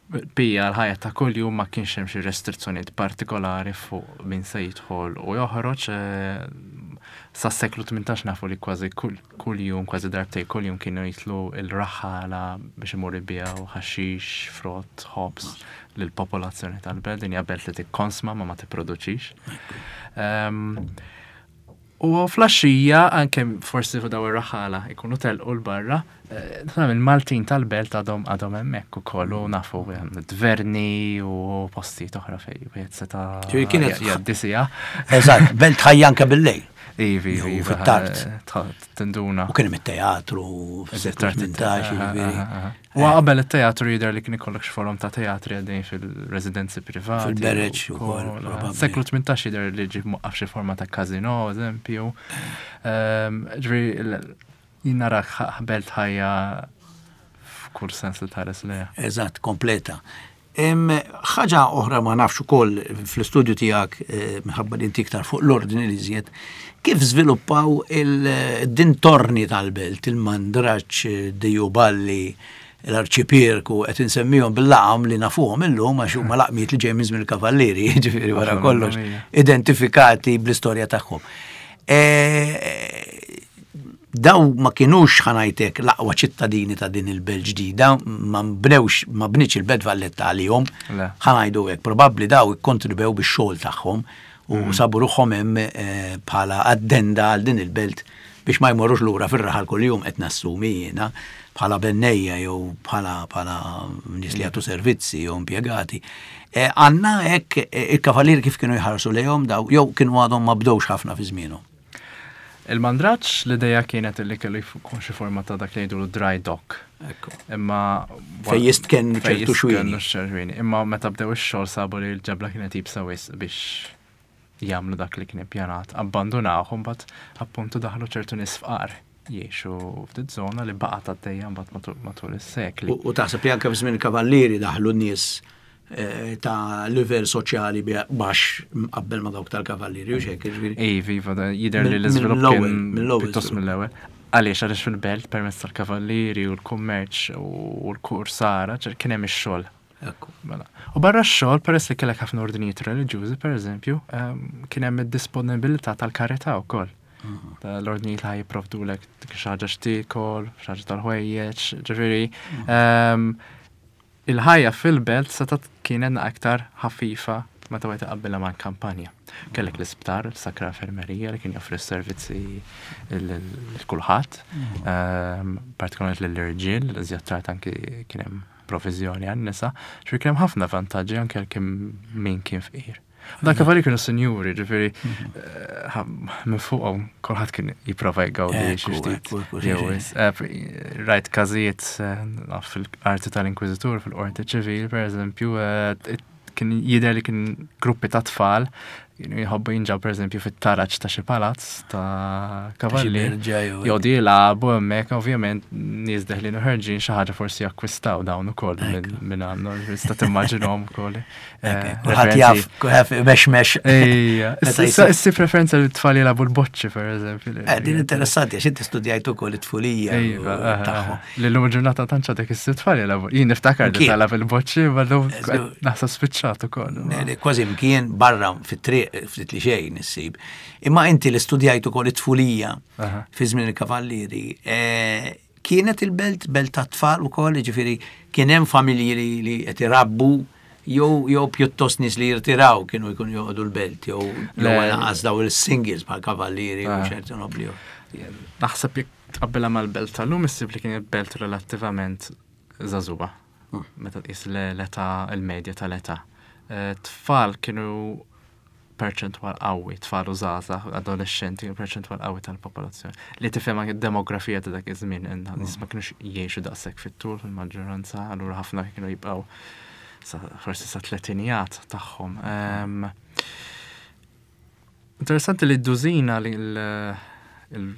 Bija l-ħajja ta' kuljum ma kienx hemm xi restrizzjonijiet partikolari fuq min se jidħol u joħroġ. Sa seklu tmintax nafu li kważi kull jum, kważi darbtej kull jum kienu jitlu il-raħħala biex imur ibiegħu ħaxix, frott, ħobż lill-popolazzjoni tal-belt. Din hija belt li tikkonsma ma ma tipproduċix. U filgħaxija, anke forsi fuq daw ir-raħala ikunu telqu l-barra, eh, il-Maltin tal-belt għadhom għadhom hemmhekk ukoll u nafu tverni u postijiet oħra fej wieħed seta' jgħaddi siegħa. Eżatt, belt ħajja anke bil-lejl. Ivi, ivi, fit-tard. Tinduna. U kien hemm it-teatru fis-seklu tmintax, jiġifieri. U qabel it-teatru jidher li kien ikollok xi forom ta' teatri għaddejn fil-residenzi privati. Fil-bereġ ukoll. Seklu tmintax jidher li ġie mwaqqaf xi forma ta' kazino, eżempju. Ehm, ġifieri jien narak belt ħajja f'kull sens li tħares lejha. Eżatt, kompleta. Ħaġa oħra, ma nafx ukoll fl-istudju tiegħek, eh, minħabba li inti iktar fuq l-ordni li żjed, kif żviluppaw il-dintorni tal-belt, il-Mandraġġ, Dijuballi, l-Arċipierku, qed insemmihom bil-laqam li nafuhom illum għax huma laqmiet li ġej minn żmien il-Kavallieri, ġifieri wara kollox, identifikati bl-istorja tagħhom. Eh, daw ma kienux, ħa ngħidlek, l-aqwa ċittadini ta' din il-belt ġdida, ma bnewx, ma bnietx il-belt Valletta għalihom, ħa ngħidu hekk, probabbli daw ikkontribwew bix-xogħol tagħhom u mm. sabu ruħhom hemm eh, bħala addenda għal din il-belt biex ma jmorrux lura fir-raħal kuljum, qed nassumi jiena, bħala bennejja jew bħala bħala nies li jagħtu servizzi jew impjegati. Eh, għandna hekk eh, il-kavallieri kif kienu jħarsu lejhom daw jew kienu għadhom ma bdewx ħafna fi żmienhom? Il-Mandraġġ, l-ideja kienet li kellu jkun xi forma ta' dak li jgħidu dry dock. Imma Fej jistken ċertu xwieni. Imma meta bdew ix-xogħol sabu li l-ġebla kienet iebsa wisq biex jagħmlu dak li kien ippjanat. Abbandunawh, mbagħad appuntu daħlu ċertu nies fqar jgħixu f'din żona li baqgħet għaddejja mbagħad matul is-sekli. U taħseb li anke f'żmien il-Kavallieri daħlu nies eh, ta' livell soċjali baxx qabel ma dawk tal-Kavallieri u xek, ġifieri? Iva, iva, jidher li l-iżvilupp kien pjuttost mill-ewwel. Għaliex għaliex fil-belt permezz tal-kavallieri u l-kummerċ u l-kursara kien hemm ix-xogħol. Mela. U barra x-xogħol, peress li kellek ħafna ordinijiet reliġjużi, per eżempju, ehm, kien hemm id-disponibilità tal-karità wkoll. Mhm. L-ordnijiet li jipprovdulek xi ħaġa x'tiekol, xi ħaġa tal-ħwejjeġ, ġifieri mhm. ehm, il-ħajja fil-belt setgħet kienet aktar ħafifa meta wieħed iqabbilha ma' kampanja. Kellek l-isptar, il-Sakra Infermerija li kien joffri s-servizzi lil kulħadd, mhm. ehm, partikolarment lill-irġiel, iżjed tard anki kien hemm provizjoni għan-nisa, ġifieri kien hemm ħafna vantaġġi anke kien min kien fqir. Dak kavali kienu sinjuri, ġifieri eh, minn fuqhom kulħadd kien jipprova jgawdi xi ftit. Eh, rajt każijiet eh, fil-arti tal-Inkwiżitur, fil-qorti ċivili, per eżempju, kien jidher li kien gruppi ta' tfal Kienu jħobbu jinġaw per eżempju fit-taraġ ta' xi palazz ta' kavalli. Berġa jew- Joqogħdu jilagħbu hemmhekk, ovvjament nies deħlin u ħerġin xi ħaġa forsi jakkwistaw dawn ukoll minn minn għandhom, tista' timmaġinhom ukoll. Eh, Kulħadd jaf, kulħadd mexmex. Ejja, Meta issa jsib- issib referenza li t-tfal jilagħbu l-boċċi per eżempju. Eh, Din interessanti, għax inti studjajt ukoll it-tfulija Iva, eh, tagħhom. li l-lum ġurnata tantx għadek issib tfal jilagħbu. Jien niftakar li Mkien. talab il-boċċi, ma l-lum Eżatt. naħseb spiċċat ukoll. Ne, li Kważi mkien barra fit-triq ftit li xejn issib. Imma inti li studjajt ukoll it-tfulija Aha. fi żmien il-kavallieri, eh, kienet il-belt belt ta' tfal ukoll, jiġifieri kien hemm familji li li qed irabbu jew jew pjuttost nies li jirtiraw kienu jkunu joqogħdu l-belt jew jew Le. lanqas daw il-singles bħal kavallieri u Ah. ċerti nobli. Naħseb jekk tqabbilha mal-belt tal-lum issib li kienet belt relattivament żagħżugħa. Meta tqis l- l-età il-medja tal-età. Eh, Tfal kienu perċentwal qawwi, tfal u żgħażagħ, adolescenti, kienu perċentwal qawwi tal-popolazzjoni. Li tifhem anke d-demografija ta' dak iż-żmien, in nies ma kienux jgħixu daqshekk fit-tul fil-maġġoranza, allura ħafna kienu jibqgħu sa- forsi sa tletinijat tagħhom. Em, Interessanti li d-dużina li l- il-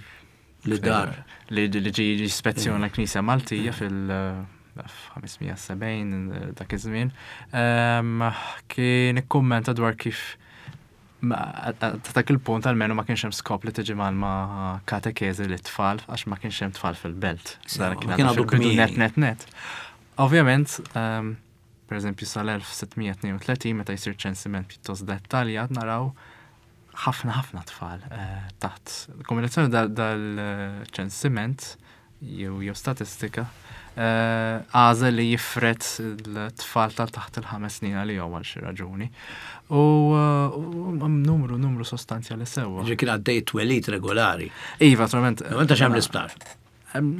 Li dar. li li ġi jispezzjona l-Knisja Maltija fil-ħames mija u sebgħin dak iż-żmien, em, kien ikkummenta dwar kif ma- ta' dak il-punt almenu ma kienx hemm skop li tiġi ma' katekeżi li tfal għax ma kienx hemm tfal fil-belt. Sewa, Dan kien kien għadu għadu fil-bidu kmieni. net net net. Ovvjament, em, per eżempju sal-elf sitt mija tnejn u tletin meta jsir ċensiment pjuttost dettaljat naraw ħafna ħafna tfal eh, taħt kombinazzjoni dal-ċensiment jew jew statistika eh, għażel li jifred l-tfal tal taħt il-ħames snin għalihom għal xi raġuni. U eh, u numru numru sostanzjali sewwa. Ġi kien għaddej twelid regolari. Iva, naturalment. Inta xem l-isptar. Em,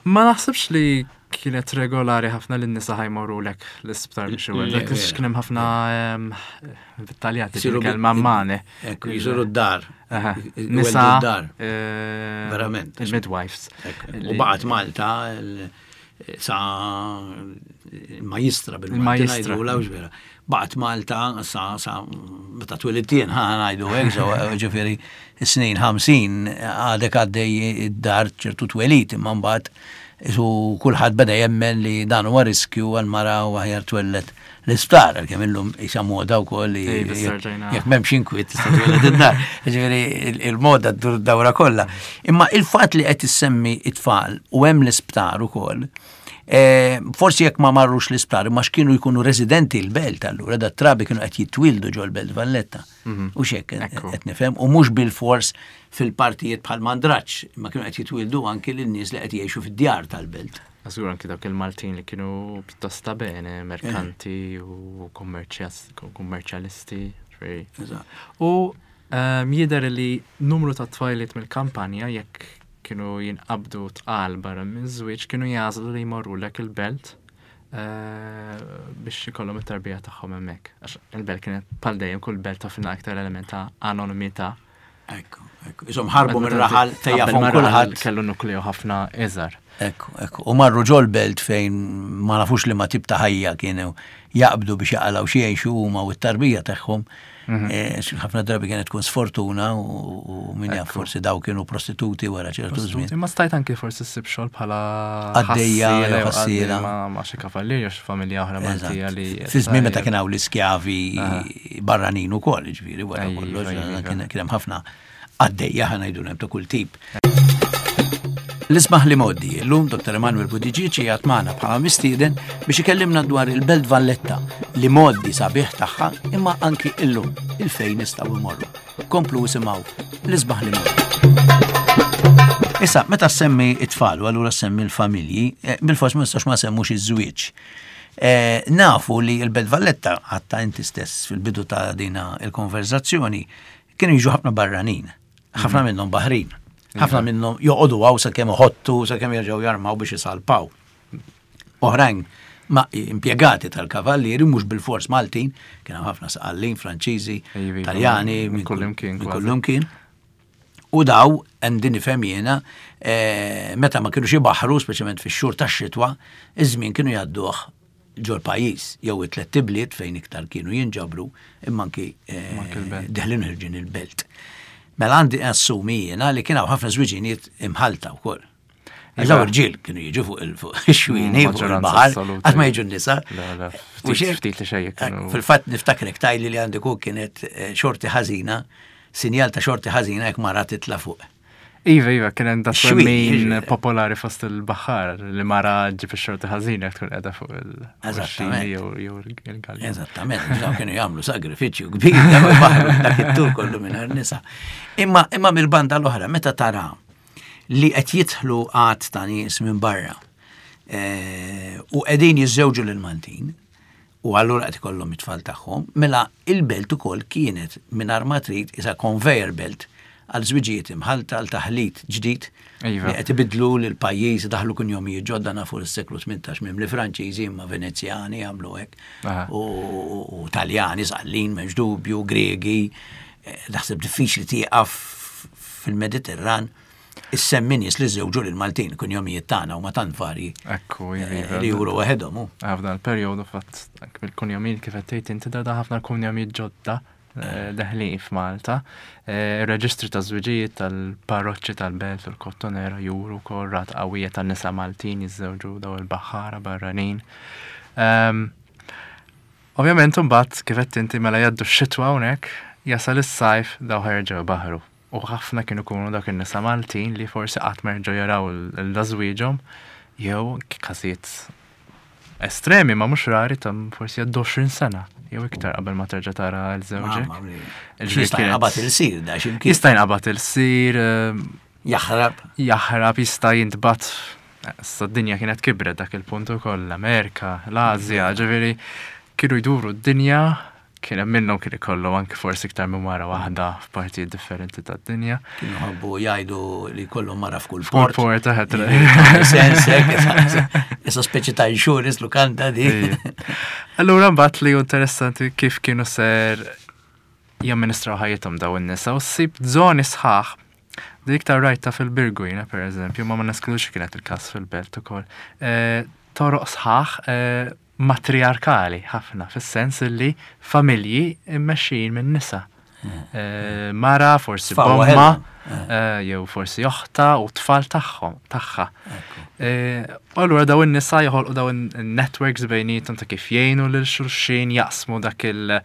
Ma naħsibx li kienet regolari ħafna li n-nisa ħa jmorru lek l-isptar biex iweldu. Le, Għax kien hemm ħafna em, dettaljati Isiru bi- kelma mane. Ekku, jisiru d-dar. Aha. Iweldu Nisa, d-dar. eh, Verament. Il-midwives. Ekku. Li- U baqgħet Malta il- sa il-majistra bil-Malti Il-majistra. ngħidu la vera. Baqgħet Malta sa sa meta twelidtien ħa ngħidu hekk so ġifieri snin ħamsin għadek għaddej id-dar ċertu twelid imma mbagħad isu kulħadd beda jemmen li dan huwa riskju għal mara u aħjar twellet l-isptar għalkemm illum isa moda wkoll li Ej, biss rġajna. jekk m'hemmx inkwiet tista' twelled id-dar. Ġifieri il- il-moda ddur dawra kollha. Imma il-fatt li qed issemmi it-tfal u hemm l-isptar ukoll, eh, forsi jekk ma marrux l-isptar, imma x'kienu jkunu residenti l-belt allura, da trabi kienu qed jitwildu ġol belt Valletta. U xek Ekku. qed nifhem, u mhux bil-fors fil-partijiet bħal Mandraċ, imma kienu qed jitwildu anki lin-nies li qed jgħixu fid-djar tal-belt. Żgur anki dawk il-Maltin li kienu pjuttost ta' bene, merkanti u kummerċjas- kummerċjalisti. ġifieri. Eżatt. U um, jidher li numru ta' tfajliet mill-kampanja jekk kienu jinqabdu tqal barra minn żwieġ kienu jagħżlu li jmorru lek il-belt eh, biex ikollhom it-tarbija tagħhom hemmhekk. Għax il-belt kienet bħal dejjem kull belt toffrilna aktar element ta' anonimità. Ekku, ekku. Isom ħarbu mir-raħal Qabel tejjafhom ma raħal kulħadd. Kellu nukleu ħafna iżgħar. Ekku, ekku. U marru ġol belt fejn ma nafux li ma tip ta' ħajja kienu jaqbdu biex jaqalaw xi jgħixu huma u t-tarbija tagħhom. Eh, Ħafna drabi kienet tkun sfortuna u u min jaf forsi daw kienu prostituti wara ċertu żmien. Imma stajt anki forsi ssib xogħol bħala Għaddejja, ħassiela jew jew ħassiela. għaddej ma' ma' xi kavallier jew xi familja oħra Maltija li. Fi żmien meta kien hawn l-iskjavi barranin ukoll, ġifieri wara Ejja, kollox, iva, kien kien hemm ħafna għaddejja ħa ngħidu hemm ta' kull tip. L-isbaħ li moddi, l-lum Dottor Emanuel Buttigieg qiegħed magħna bħala mistieden biex ikellimna dwar il-Belt Valletta li moddi sabiħ tagħha imma anki illum il-fejn nistgħu imorru. Komplu isimgħu l-isbaħ li moddi. Issa, meta semmi it-tfal u allura semmi l-familji, eh, bil-fors ma nistax ma semmux iż-żwieġ. Eh, Nafu li l-Belt Valletta, għatta inti stess fil-bidu ta' dina il-konverzazzjoni, kienu jiġu ħafna barranin, ħafna minnhom baħrin, ħafna minnhom joqogħdu hawn sakemm iħottu, sakemm jerġgħu jarmaw biex isalpaw. Oħrajn ma impjegati tal-kavallieri mhux bil-fors Maltin, kien hemm ħafna Sqallin, Franċiżi, Iva, iva, Taljani, minn kullimkien minn kważi. kullimkien. U daw, għandi nifhem jiena, eh, meta ma kienux ibaħru, speċjalment fix-xhur tax-xitwa, iż-żmien kienu jgħadduh Ġol-pajjiż, jew it-tlet ibliet fejn iktar kienu jinġabru, imma anki eh, Anki l-belt. Deħlin ħerġin il-belt. Mela għandi assumi jiena li kien hawn ħafna żwiġinijiet imħalta wkoll. Għax daw irġiel kienu jiġu fuq il- fuq ix-xwieni, fuq Maġġoranza il-baħar, assoluta. qatt ma jiġu n-nisa. Le, le, U ftit- xejn- ftit li xejn kienu- Fil-fatt niftakrek tgħidli li għandek u kienet eh, xorti ħażina, sinjal ta' xorti ħażina jekk mara titla' fuq. Iva, iva, kien hemm dat Xwien, twemmin jiġifieri. popolari fost il-baħar li mara ġib ix-xorti ħażina jekk tkun qiegħda fuq il-xini Eżattament. jew jew il-galja. Eżattament, daw kienu jagħmlu sagrifiċċju kbir, daw il-baħru dak it-tur kollu mingħajr nisa. Imma imma mill-banda l-oħra, meta tara li qed jidħlu għadd ta' nies minn barra eh, u qegħdin jiżżewġu lil Maltin u allura qed ikollhom it-tfal tagħhom, mela il-belt ukoll kienet mingħajr ma trid isa conveyor belt għal żwiġijiet imħalta, għal taħlit ġdid Iva. li qed ibidlu lil pajjiż, daħlu kunjomijiet ġodda, nafu s-seklu tmintax minn li Franċiżi imma Venezjani għamlu hekk Aha. u, u, u Taljani, Sqallin, m'hemmx dubju, Gregi, eh, naħseb diffiċli tieqaf fil-Mediterran issemmi nies li żewġu lil Maltin, kunjomijiet tagħna huma tant varji Ekku, iva, eh, iva. li juru waħedhom. hu. F'dan il-perjodu fatt anke bil-kunjomijiet kif qed tgħid inti, da ħafna kunjomijiet ġodda eh, deħlin f'Malta. Eh, Ir-reġistri ta' żwiġijiet tal-parroċċi tal-belt u l-Kottonera juru wkoll rata qawwija tan-nisa Maltin jiżżewġu daw il-baħħara barranin. Ehm, Ovvjament imbagħad, kif qed inti, mela jgħaddu x-xitwa hawnhekk, jasal is-sajf, daw ħerġew baħru. U ħafna kienu kunu dak in-nisa Maltin li forsi qatt ma jerġgħu jaraw l-żwieġhom jew każijiet estremi ma mhux rari ta' forsi għaddu għoxrin sena jew iktar qabel ma terġa' tara 'l żewġek. Mamma mia. Ġifieri Jista' kienet- jinqabad il-sir da x'imkien. Jista' jinqabad il-sir, ehm, Jaħrab. jaħrab, jista' jintbagħat. Issa d-dinja kienet kibret dak il-punt ukoll, l-Amerika, l-Azja, ġifieri kienu jduru d-dinja, kien hemm minnhom kien ikollhom anke forsi iktar minn mara waħda f'partijiet differenti tad-dinja. Kienu ħabbu jgħidu li kollhom mara f'kull Kull port. port, eħet. Sens, hekk, issa speċi ta' insurance lukanda di. Allura mbagħad li hu interessanti kif kienu ser jamministraw ħajjithom daw in-nisa u ssib żoni sħaħ. Dik iktar rajta fil-Birgu jiena, per eżempju, ma ma neskludux kienet il-każ fil-belt ukoll. Eh, Toroq sħaħ eh, matriarkali ħafna, fis-sens li familji immexxijin minn nisa. Eh, Mara, forsi Tfal bomma, waħedhom. eh, jew forsi oħta u tfal tagħhom, tagħha. Eh, U allura daw in-nisa joħolqu daw in-networks bejnietom ta' kif jgħinu lil xulxin, jaqsmu dak il-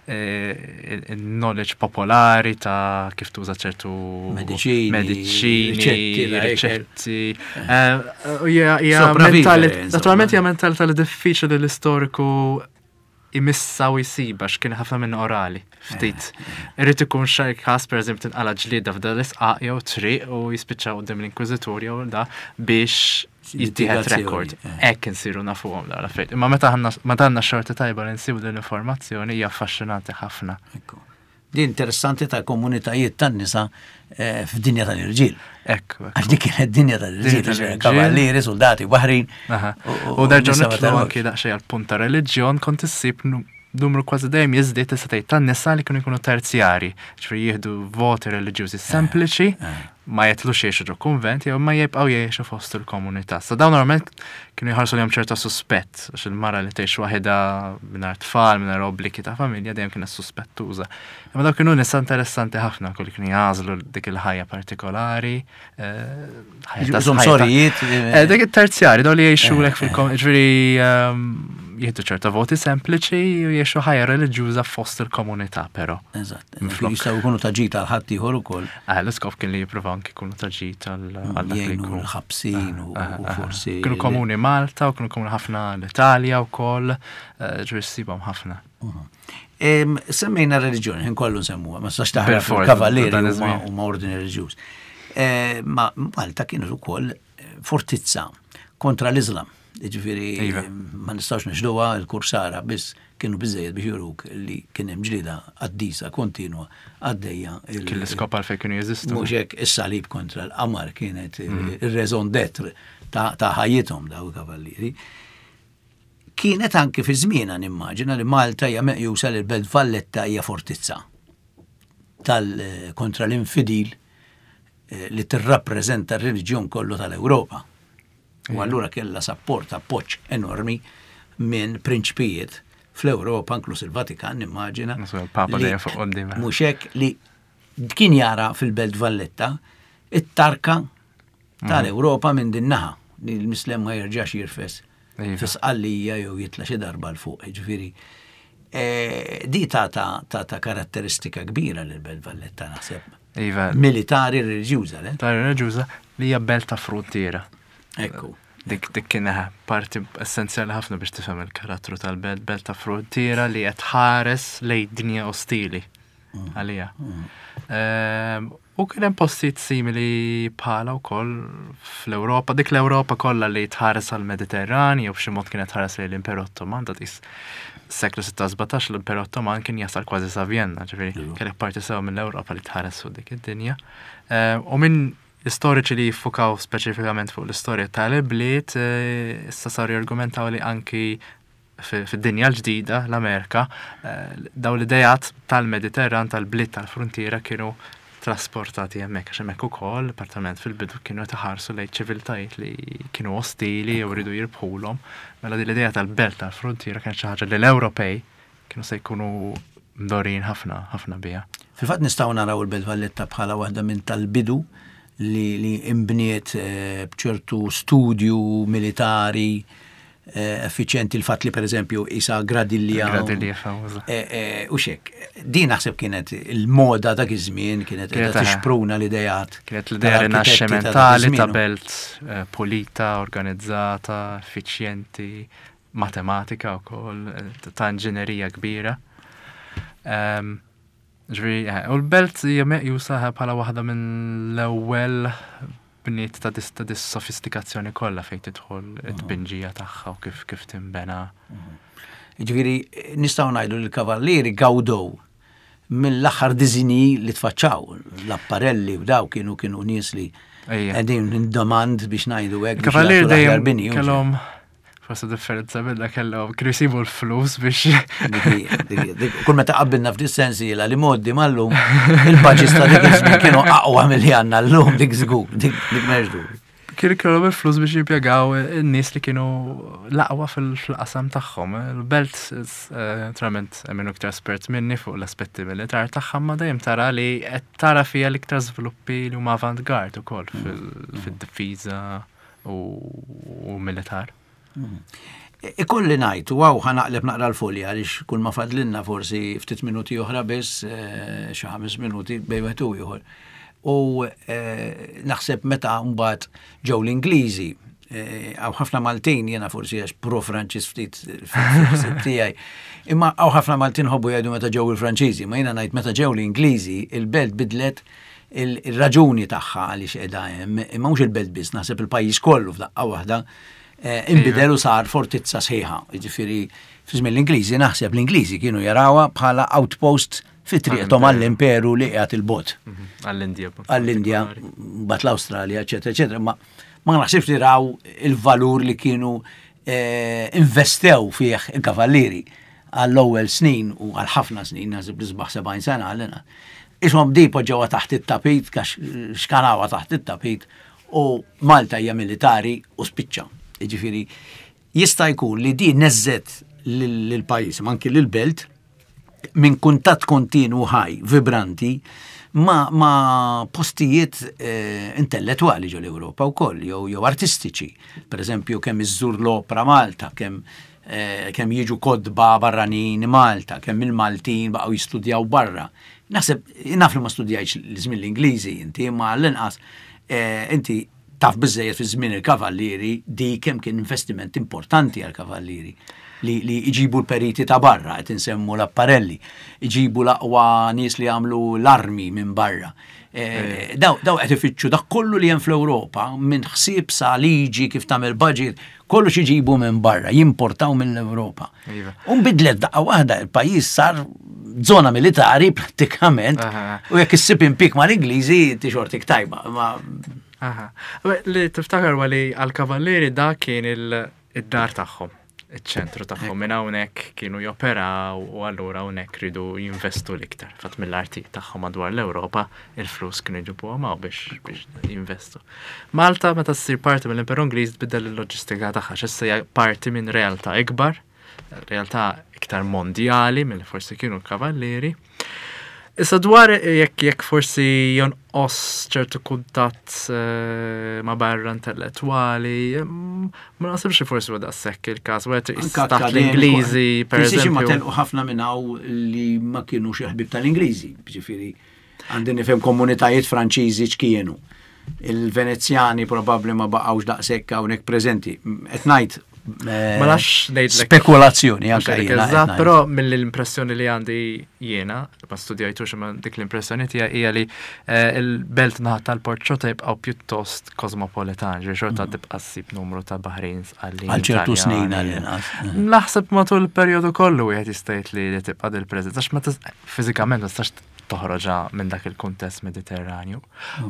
eh, il-knowledge popolari ta' kif tuża ċertu Mediċini, mediċini, riċetti, la ikel. riċetti. Eh, U hija hija Sopravvivere, mentali- insomma. naturalment hija mentalità li diffiċli li l-istoriku imissa u jisiba x'kien ħafna minn orali, ftit. Irrid ikun xi każ, pereżempju tinqala ġlieda f'dan l-isqaq jew triq u jispiċċaw quddiem l-inkwiżitur jew da biex jittieħed Litigazzjoni, rekord. eh. Hekk insiru nafuhom dawn l-affarijiet. Imma meta għandna meta għandna xorti tajba li nsibu din l-informazzjoni, hija affaxxinanti ħafna. Ekku. Di interessanti ta' komunitajiet tan-nisa eh, f'dinja tal-irġiel. Ekku. Għax dik kienet dinja tal-irġiel, Dinja tal-irġiel. kavallieri, soldati, baħrin. Aha. u- U nerġgħu nisa ma nitlu tarahomx. anki daqsxejn għal punt ta' reliġjon, kont issib nu- numru kważi dejjem jiżdied, tista' tgħid, tan-nisa li kienu jkunu terzjari, ġifieri jieħdu voti reliġjużi sempliċi, ma jitilgħux jgħixu ġo kunvent jew ma jibqgħu jgħixu fost il-komunità. Sa dawn normalment kienu jħarsu lejhom ċerta suspett, għax il-mara li tgħix waħedha mingħajr tfal, mingħajr obbligi ta' familja, dejjem kienet suspettuża. Imma dawn kienu nisa interessanti ħafna, kull kienu jagħżlu dik il-ħajja partikolari. eh, ħajja ta' Iżom ħajja ta' sorijiet. Eh, Dik it-terzjari, daw li jgħixu lek fil-kom, ġifieri ehm, jieħdu ċerta voti sempliċi u jgħixu ħajja reliġjuża fost il-komunità, però. Eżatt. Minflok. Jistgħu jkunu ta' ġid għal ħadd ieħor ukoll. Ah, l-iskop kien li jippruvaw anki jkunu ta' ġid għal għal dak li Jgħinu jkun. l-ħabsin u u forsi. Kienu komuni Malta u kienu komuni ħafna l-Italja u koll, ġifieri ssibhom ħafna. Em, Semmejna reliġjoni, ħin kollu nsemmuha, ma sax taħrab Bil-fors, il-kavallieri dan huma iż-żmien. huma ordni reliġjuż. Eh, Ma Malta kienet ukoll eh, fortizza kontra l-Islam. Ġifieri Iva. ma nistgħux nixduha, il-kursara biss kienu biżejjed biex juruk li kien hemm ġlida qaddisa kontinwa għaddejja. il- Kien l-iskop għalfejn kienu jeżistu. Mhux hekk, is-salib kontra l-qamar kienet ir-raison d'être ta' ta' ħajjithom daw il-kavallieri. Kienet anke fi żmienha, nimmaġina li Malta hija meqjusa li l-Belt Valletta hija fortizza tal kontra l-infidil eh, li tirrappreżenta r-reliġjon kollu tal-Ewropa. U allura kellha sapport, appoġġ enormi minn prinċpijiet fl-Ewropa, inkluż il-Vatikan, nimmaġina. Il-Papa li- dejjem fuq quddiem. Mhux hekk, li kien jara fil-Belt Valletta it-tarka tal-Ewropa minn din naħa li l-Mislem ma jerġax jirfes Iva. fi Sqallija jew jitla xi darba 'l fuq, ġifieri. eh, Di ta' ta' ta' ta' karatteristika kbira lil Belt Valletta, naħseb. Iva, Militari reliġjuża, le? Ta' reliġjuża li hija belt ta' frontiera. Ekku. Dik dik kien parti essenzjali ħafna biex tifhem il-karattru tal-belt, belt ta' frontiera li qed tħares lejn dinja ostili għalija. Ehm, U kien hemm postijiet simili bħala wkoll fl-Ewropa, dik l-Ewropa kollha li tħares għall-Mediterran jew b'xi mod kienet tħares lejn l-Imperu Ottoman, ta' tqis seklu sittax-sbatax l-Imperu Ottoman kien jasal kważi sa Vienna, ġifieri Iva. kellek parti sew mill-Ewropa li tħares fuq dik id-dinja. Ehm, U minn istoriċi li jiffukaw speċifikament fuq l-istorja tal-ibliet, eh, issa saru jargumentaw li anki fi- fid-dinja l-ġdida, l-Amerika, eh, daw l-idejat tal-Mediterran, tal-bliet tal-frontiera kienu trasportati hemmhekk, għax hemmhekk ukoll, partament fil-bidu, kienu taħarsu lejn ċiviltajiet li kienu ostili jew ridu jirbħulhom. Mela din l-idea tal-belt tal-frontiera kienet xi ħaġa li l-Ewropej kienu se jkunu mdorrijin ħafna ħafna biha. Fil-fatt nistgħu naraw il-Belt Valletta bħala waħda minn tal-bidu li, li imbniet eh, bċertu studju militari eh, effiċjenti, il-fatt li per eżempju isa gradilja. Gradilja famuża. Eh, eh, U xek, din naħseb kienet il-moda dak iż-żmien, kienet Kienet, qiegħda eh, tixpruna l-idejat Kienet l-idea tal-arkitetti ta' dak rinaxximentali ta' iż-żmien. belt eh, pulita, organizzata, effiċjenti, matematika wkoll, eh, ta' inġinerija kbira. Em, Ġifieri, eh, u l-belt hija meqjusa bħala waħda minn l-ewwel bniet ta' dis ta' dis sofistikazzjoni kollha fejn tidħol it-tbinġija tagħha u kif kif tinbena. Ġifieri, nistgħu ngħidu li l-kavallieri gawdow mill-aħħar disinji li tfaċċaw, l-apparelli u daw kienu kienu nies li Ejja. qegħdin in demand biex ngħidu hekk biex Il-kavallieri jagħtu l-aħjar dejjem bini, u kellhom forsi differenza minna, kellhom kienu jsibu l-flus biex Dik hija, dik hija, dik- Kull meta qabbilna f'dis sensiela li moddi mal-lum, il-budgets ta' dik iż-żmien kienu aqwa milli għandna llum, dik żgur, dik dik m'hemmx dubju. Kienu kellhom il-flus biex jimpjegaw in-nies li kienu l-aqwa fil-qasam tagħhom. Il-belt, eh, naturalment, hemm iktar espert minni fuq l-aspetti militar tagħha, ma dejjem tara li qed tara fiha l-iktar żviluppi li huma avant-garde ukoll fil- fid-difiża u u militar. Ikolli ngħid, u hawn ħa naqleb naqra l-folja għaliex kull ma fadlinna forsi ftit minuti oħra biss, eh, xi ħames minuti bejn wieħed u ieħor. U eh, naħseb meta mbagħad ġew l-Ingliżi, eh, hawn ħafna Maltin, jiena forsi għax pro-Franċiż ftit fil-ħsieb tiegħi, imma hawn ħafna Maltin ħobbu jgħidu meta ġew il-Franċiżi, ma jiena ngħid meta ġew l-Ingliżi, il-belt bidlet il-raġuni tagħha għaliex qiegħda hemm, imma mhux il-belt biss, naħseb il-pajjiż kollu f'daqqa waħda eh, inbidel u sar fortizza sħiħa. Jiġifieri fi żmien l-Ingliżi naħseb l-Ingliżi kienu jarawha bħala outpost fi triqthom għall-imperu li qiegħed il-bot. Għall-Indja. Għall-Indja, bat l-Awstralja, eċetera, eċetera. Ma ma naħsibx li raw il-valur li kienu eh, investew fih il-kavallieri għall-ewwel snin u għal ħafna snin, naħseb li sbaħ sebgħin sena għalina. Ishom di poġġewha taħt it-tapit, kax xkanawha taħt it-tapit, u Malta hija militari u spiċċa. Jiġifieri, jista' jkun li di neżżet lill-pajjiż, ma anki lill-belt, minn kuntatt kontinu ħaj, vibranti, ma, ma postijiet eh, intellettuali ġo l-Ewropa u koll, jew, jew artistiċi. Per eżempju, kemm iżżur l-opra Malta, kemm eh, kemm jiġu kotba barranin Malta, kemm il-Maltin baqgħu jistudjaw barra. Naħseb, naf li ma studjajx l-żmien l-Ingliżi inti, ma l-inqas eh, inti taf biżejjed fi żmien il-kavallieri di kemm kien investiment importanti għal-kavallieri li, li iġibu l-periti ta' barra, qed insemmu l-apparelli, iġibu l-aqwa nies li għamlu l-armi minn barra. Eh, daw daw qed ifittxu dak kollu li hemm fl-Ewropa minn ħsieb sa liġi kif tagħmel budget, kollu iġibu minn barra, jimportaw mill-Ewropa. Iva. U nbidlet daqqa waħda, il-pajjiż sar zona militari prattikament, Aha. u jekk issib impik mal-Ingliżi ti xortik tajba. Ma Aha. Beh, li tiftakar li għal-kavallieri da kien il- id-dar tagħhom, iċ-ċentru tagħhom. Minn hawnhekk kienu joperaw u allura hawnhekk ridu jinvestu l-iktar. Fatt mill-arti tagħhom madwar l-Ewropa il-flus kienu jġibuhom hawn biex biex jinvestu. Malta meta ssir parti mill-Imperu Ingliż tbiddel il-loġistika tagħha, x'issa hija parti minn realtà ikbar. Realtà iktar mondjali mill forsi kienu l-kavallieri. Issa dwar jekk jekk forsi jonqos ċertu kuntatt eh, ma' barra intellettwali, mm, ma naħsibx li forsi huwa daqshekk il-każ, wieħed Anka taħt akkademiku. l-Ingliżi, per Tinsiex imma eżempju. telqu ħafna minn hawn li ma kienu xi ħbieb tal-Ingliżi, ġifieri għandi nifhem komunitajiet Franċiżi x'kienu. Il-Venezjani probabbli ma baqgħux daqshekk hawnhekk preżenti. Qed ngħid eh, Ma nafx ngħidlek. spekulazzjoni Mhux anke ngħidlek jiena qed eżatt, ngħid. però mill-impressjoni li għandi jiena, ma studjajtux imma dik l-impressjoni tiegħi hija li eh, il-belt naħa tal-port xorta jibqgħu pjuttost kosmopolitan, ġifieri xorta tibqa' ssib numru ta' Baħrin, Sqallin, Mm. Għal ċertu snin Taljani. għall-inqas. Naħseb matul il-perjodu kollu wieħed jista' jgħid li li tibqa' dil-preżenza, għax ma tis- fiżikament ma tistax toħroġha minn dak il-kuntest Mediterranju.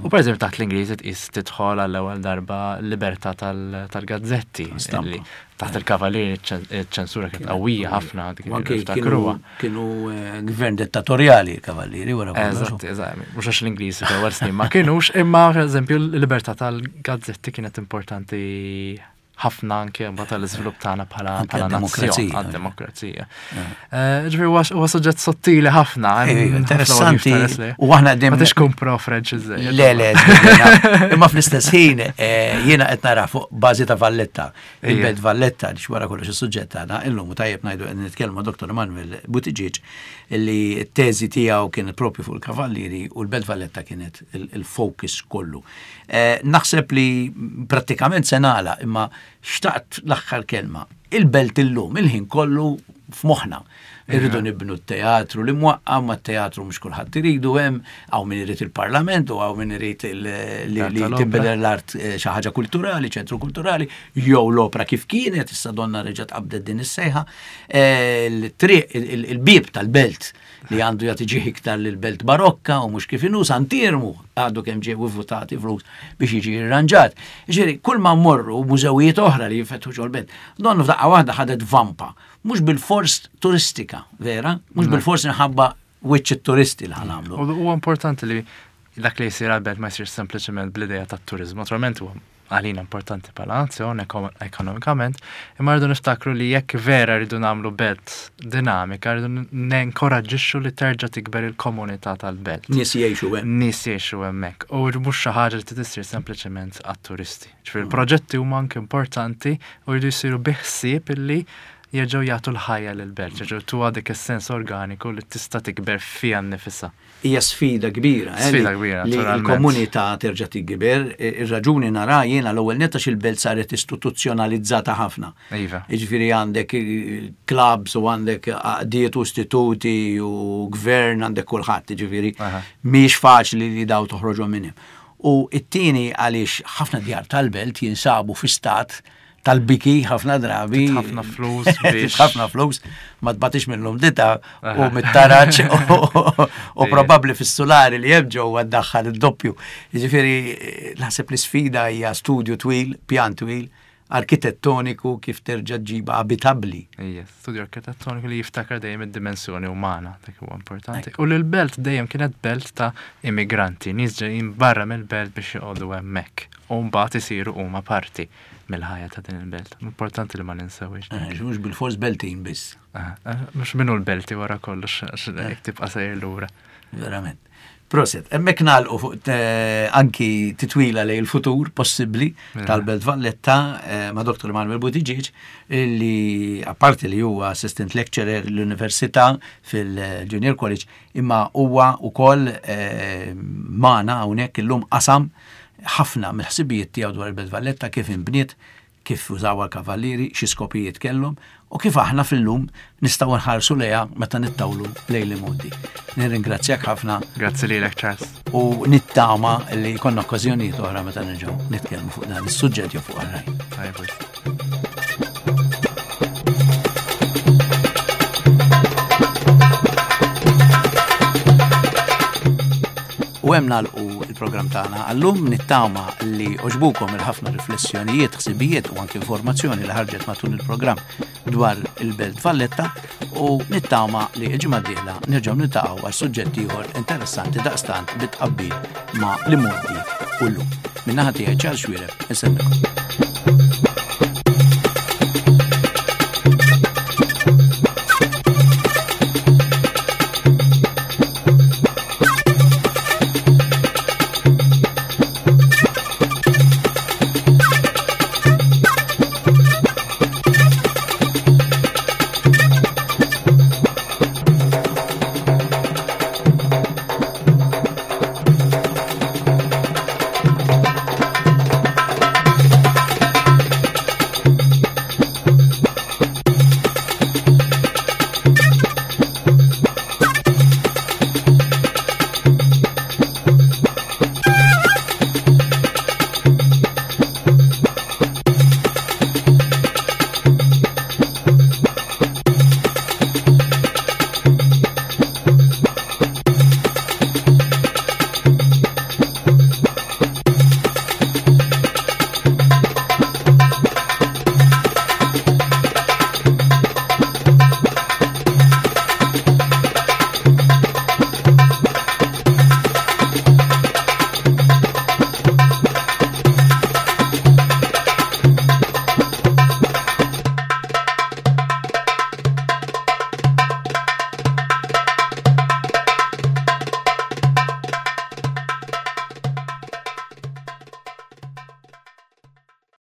U per eżempju taħt l-Ingliżi tqis tidħol għall-ewwel darba l-libertà tal- tal-gazzetti. Stampa. li Taħt il-Kavallieri iċ-ċensura kienet qawwija ħafna dik U anke li niftakruha. kienu kienu eh, gvern dittatorjali l-kavallieri wara kollox. Eżatt, eżatt, mhux għax l-Ingliżi fl-ewwel snin ma kienux, imma per eżempju l-libertà tal-gazzetti kienet importanti ħafna anke mbagħad tal-iżvilupp tagħna bħala Anke bħala nazzjon, għad-demokrazija. għad-demokrazija. Eh, Ġifieri huwa huwa suġġett sottili ħafna, Eh, hemm ħafna interessanti. waqif tares li. U aħna qegħdin Ma tix tkun pro French iżżejjed. Le, le, żgur, imma fl-istess ħin eh, jiena qed nara fuq bażi ta' Valletta, il-Belt Valletta li wara kollox is-suġġett tagħna, illum u tajjeb ngħidu qed nitkellmu ma' Dottor Emanuel Buttigieg li t-teżi tiegħu kienet propju fuq il-Kavallieri u l-Belt Valletta kienet il- il-focus kollu. Eh, Naħseb li prattikament se nagħlaq imma xtaqt l-aħħar kelma. Il-belt illum, il-ħin kollu f'moħħna. Irridu nibnu t-teatru li mwaqqa, ma t-teatru mhux kulħadd iridu hemm, hawn min irid il-parlament u hawn min irid il- li Dar li tal-opra. tinbidel l-art eh, xi ħaġa kulturali, ċentru kulturali, jew l-opra kif kienet, issa donna reġgħet qabdet din is-sejħa. Eh, Il-triq, il- il-bieb tal-belt li għandu jagħti ġieħ iktar lill-belt barokka u mhux kif inhu Sant'Iermu għadu kemm ġew votati flus biex jiġi irranġat. Ġifieri, kull ma mmorru mużewijiet oħra li jinfetħu ġol-belt, donnu f'daqqa waħda ħadet vampa, mhux bil-fors turistika, vera? Mhux bil-fors minħabba wiċċ it-turisti li ħa nagħmlu. U huwa importanti li dak li jsir għal-belt ma jsirx sempliċement bl-idea tat-turizmu. Naturalment huwa għalina importanti bħala nazzjon eko- ekonomikament, imma rridu niftakru li jekk vera rridu nagħmlu belt dinamika, rridu nenkoraġġixxu li terġa' tikber il-komunità tal-belt. Nies jgħixu hemm. Nies jgħixu hemmhekk. U mhux xi ħaġa li trid issir sempliċement għat-turisti. Ġifieri il-proġetti huma anke importanti u jridu jsiru bi ħsieb illi jerġgħu jagħtu l-ħajja lill-belt, jerġgħu tuha dik is-sens organiku li tista' tikber fiha nnifisha. Hija sfida kbira. eh, Sfida li- kbira, Li naturalment. l-komunità terġa' tikber. Ir-raġuni nara jiena l-ewwel netta il-belt saret istituzzjonalizzata ħafna. Iva. Jiġifieri għandek eh, clubs u għandek għaqdiet u istituti u gvern għandek kulħadd, jiġifieri Aha. mhix faċli li daw toħroġhom minn hemm. U it-tieni għaliex ħafna djar tal-belt jinsabu fi stat tal-biki ħafna drabi. Ħafna flus biex- ħafna flus, ma tbatix mill-umdità u Aha. mit-taraċ u- u Ija. probabbli fis-sulari li hemm ġewwa ddaħħal id-doppju. Jiġifieri naħseb li sfida hija studju twil, pjan twil, arkitettoniku kif terġa' ġġibha abitabbli. Ija, studju arkitettoniku li jiftakar dejjem id-dimensjoni umana, dak huwa importanti. U li l-belt dejjem kienet belt ta' immigranti, nies ġejjin barra mill-belt biex joqogħdu hemmhekk. U mbagħad isiru huma parti mill-ħajja ta' din il-belt. Importanti li ma ninsewix. Eh, Mhux bil-fors beltin biss, Ah, ah, Mhux minnu l-belti wara kollox, għax jekk tibqa' sejjer lura. verament. Proset, hemmhekk nagħlqu fuq eh, anki titwila lejn il-futur possibbli Mela. tal-Belt Valletta eh, ma' Dottor Emanuel Buttigieg li apparti li huwa assistant lecturer l-Università fil-Junior College imma huwa wkoll eh, magħna hawnhekk illum qasam ħafna mill-ħsibijiet tiegħu dwar il-Belt Valletta kif inbniet, kif użawha l-kavallieri, xi skopijiet kellhom u kif aħna fil-lum nistgħu nħarsu lejha meta nittawlu lejn l-imgħoddi. Nirringrazzjak ħafna Grazzi lilek, Charles. u nittama li jkollna okkażjonijiet oħra meta nerġgħu nitkellmu fuq dan is-suġġett jew fuq oħrajn. Tajjeb wisq. U hemm nagħlqu il-programm tagħna għallum, nittama li oġbukom il-ħafna riflessjonijiet, ħsibijiet u anke informazzjoni li ħarġet matul il-programm dwar il-Belt Valletta u nittama li l-ġimgħa d-dieħla nerġgħu niltaqgħu għal suġġett ieħor interessanti daqstant bit-tqabbil ma' l-imgħoddi u llum. Min-naħa tiegħi Charles Xuereb, insellmilkom.